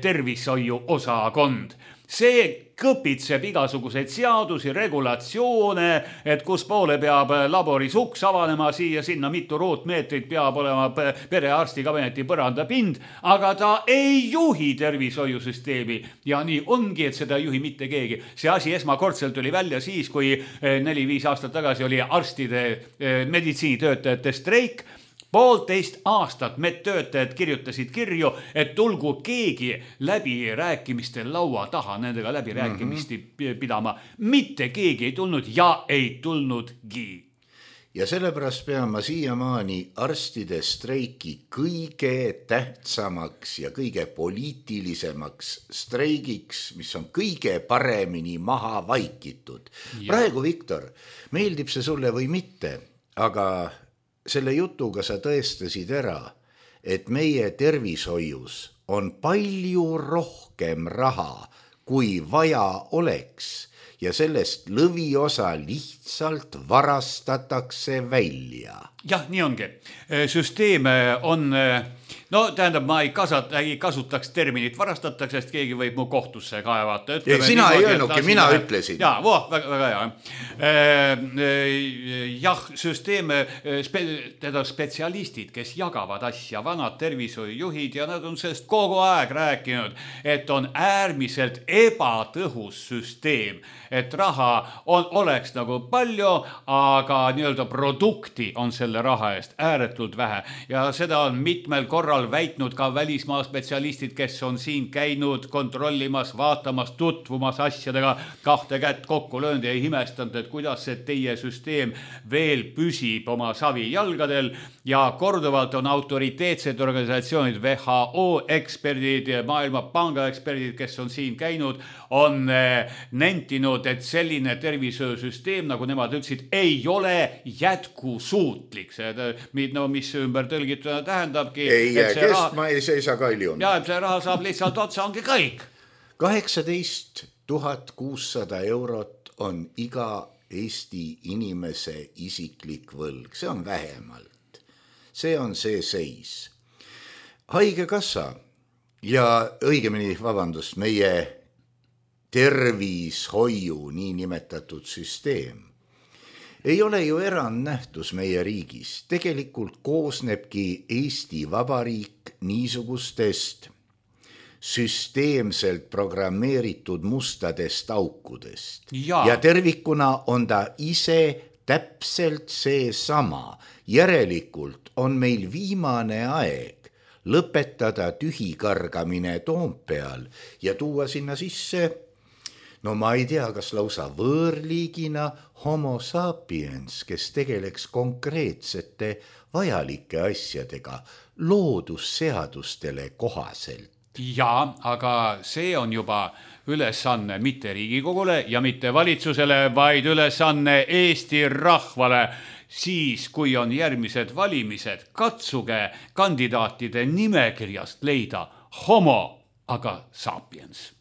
tervishoiu osakond. See kõpitseb igasuguseid seadusi, regulatsioone, et kus poole peab laboris uks avanema, siia sinna mitu ruutmeetrit peab olema perearsti kabineti põrandapind, aga ta ei juhi tervishoiusüsteemi. Ja nii ongi, et seda ei juhi mitte keegi. See asi esmakordselt tuli välja siis, kui 4-5 aastat tagasi oli arstide meditsiinitöötajate streik. 1,5 aastat medtöötajad kirjutasid kirju, et tulgu keegi läbirääkimiste laua taha nendega läbirääkimisti pidama. Mitte keegi ei tulnud ja ei tulnudki. Ja sellepärast pean ma siiamaani arstide streiki kõige tähtsamaks ja kõige poliitilisemaks streigiks, mis on kõige paremini maha vaikitud. Praegu, Viktor, meeldib see sulle või mitte, aga selle jutuga sa tõestasid ära, et meie tervishoius on palju rohkem raha, kui vaja oleks. ja sellest lõviosa lihtsalt varastatakse välja. Jah, nii ongi. Süsteem on, no tähendab, ma ei kasutaks terminit varastatakse, sest keegi võib mu kohtusse kaevata. Sina ei öelnudki, mina ütlesin. Jaa, väga hea. Jah, süsteem, teda spetsialistid, kes jagavad asja, vanad tervishoiujuhid ja nad on sellest kogu aeg rääkinud, et on äärmiselt ebatõhus süsteem, et raha oleks nagu palju, aga nii-öelda produkti on selle raha eest ääretult vähe ja seda on mitmel korral väitnud ka välismaa spetsialistid, kes on siin käinud kontrollimas, vaatamas, tutvumas asjadega, kahte kätt kokku löönud ja ei imestanud, et kuidas see teie süsteem veel püsib oma savijalgadel ja korduvalt on autoriteetsed organisatsioonid, WHO eksperdid ja Maailmapanga eksperdid, kes on siin käinud, on nentinud, et selline tervishoiusüsteem, nagu nemad ütlesid, ei ole jätkusuutlik. No, mis ümber tõlgituna tähendabki. Ei jää kestma, ei seisa kaljuna. Ja, et see raha saab lihtsalt otsa, ongi kõik. 18 600 eurot on iga Eesti inimese isiklik võlg. See on vähemalt. See on see seis. Haigekassa ja õigemini, vabandust, meie tervishoiu niinimetatud süsteem ei ole ju erandnähtus meie riigis. Tegelikult koosnebki Eesti Vabariik niisugustest süsteemselt programmeeritud mustadest aukudest. Ja tervikuna on ta ise täpselt see sama. Järelikult on meil viimane aeg lõpetada tühikargamine Toompeal ja tuua sinna sisse, no ma ei tea, kas lausa võõrliigina homo sapiens, kes tegeleks konkreetsete vajalike asjadega loodusseadustele kohaselt. Ja, aga see on juba ülesanne mitte Riigikogule ja mitte valitsusele, vaid ülesanne Eesti rahvale. Siis, kui on järgmised valimised, katsuge kandidaatide nimekirjast leida homo, aga sapiens.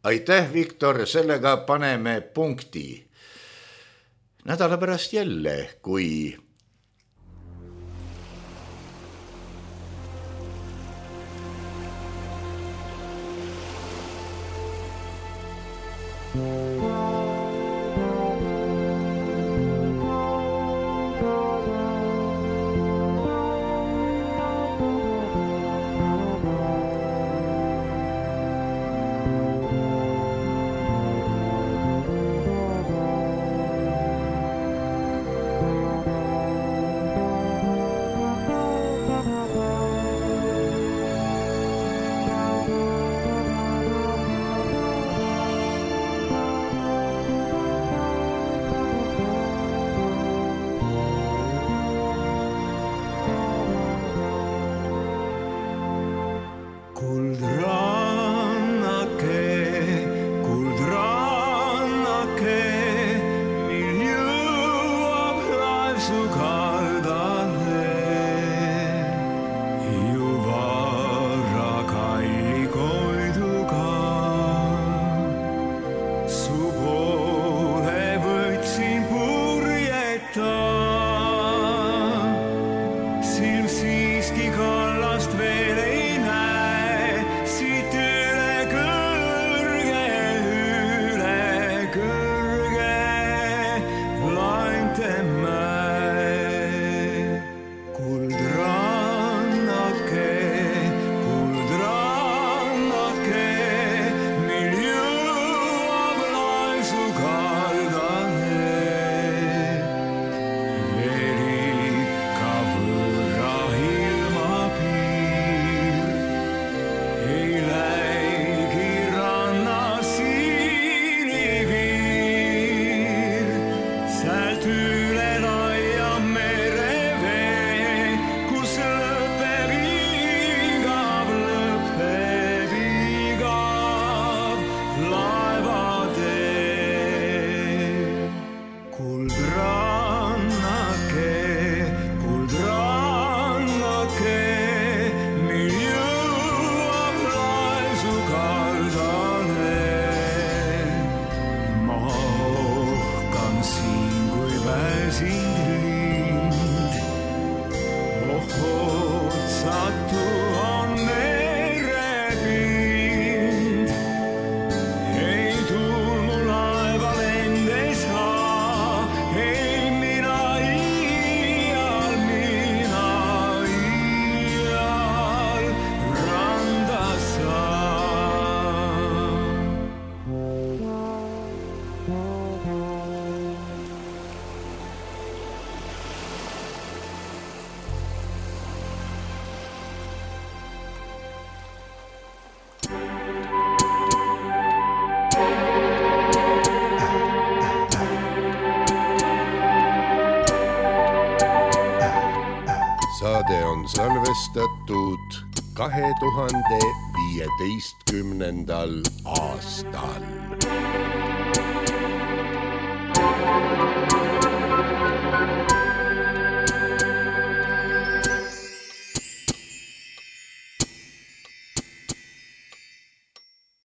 Aitäh, Viktor, sellega paneme punkti. Nädala pärast jälle, kui sind lind. Otsatu on merepind. Ei tulmu laeva lende saa, ei mina iial randa saan. Saade on salvestatud 2015. aastal.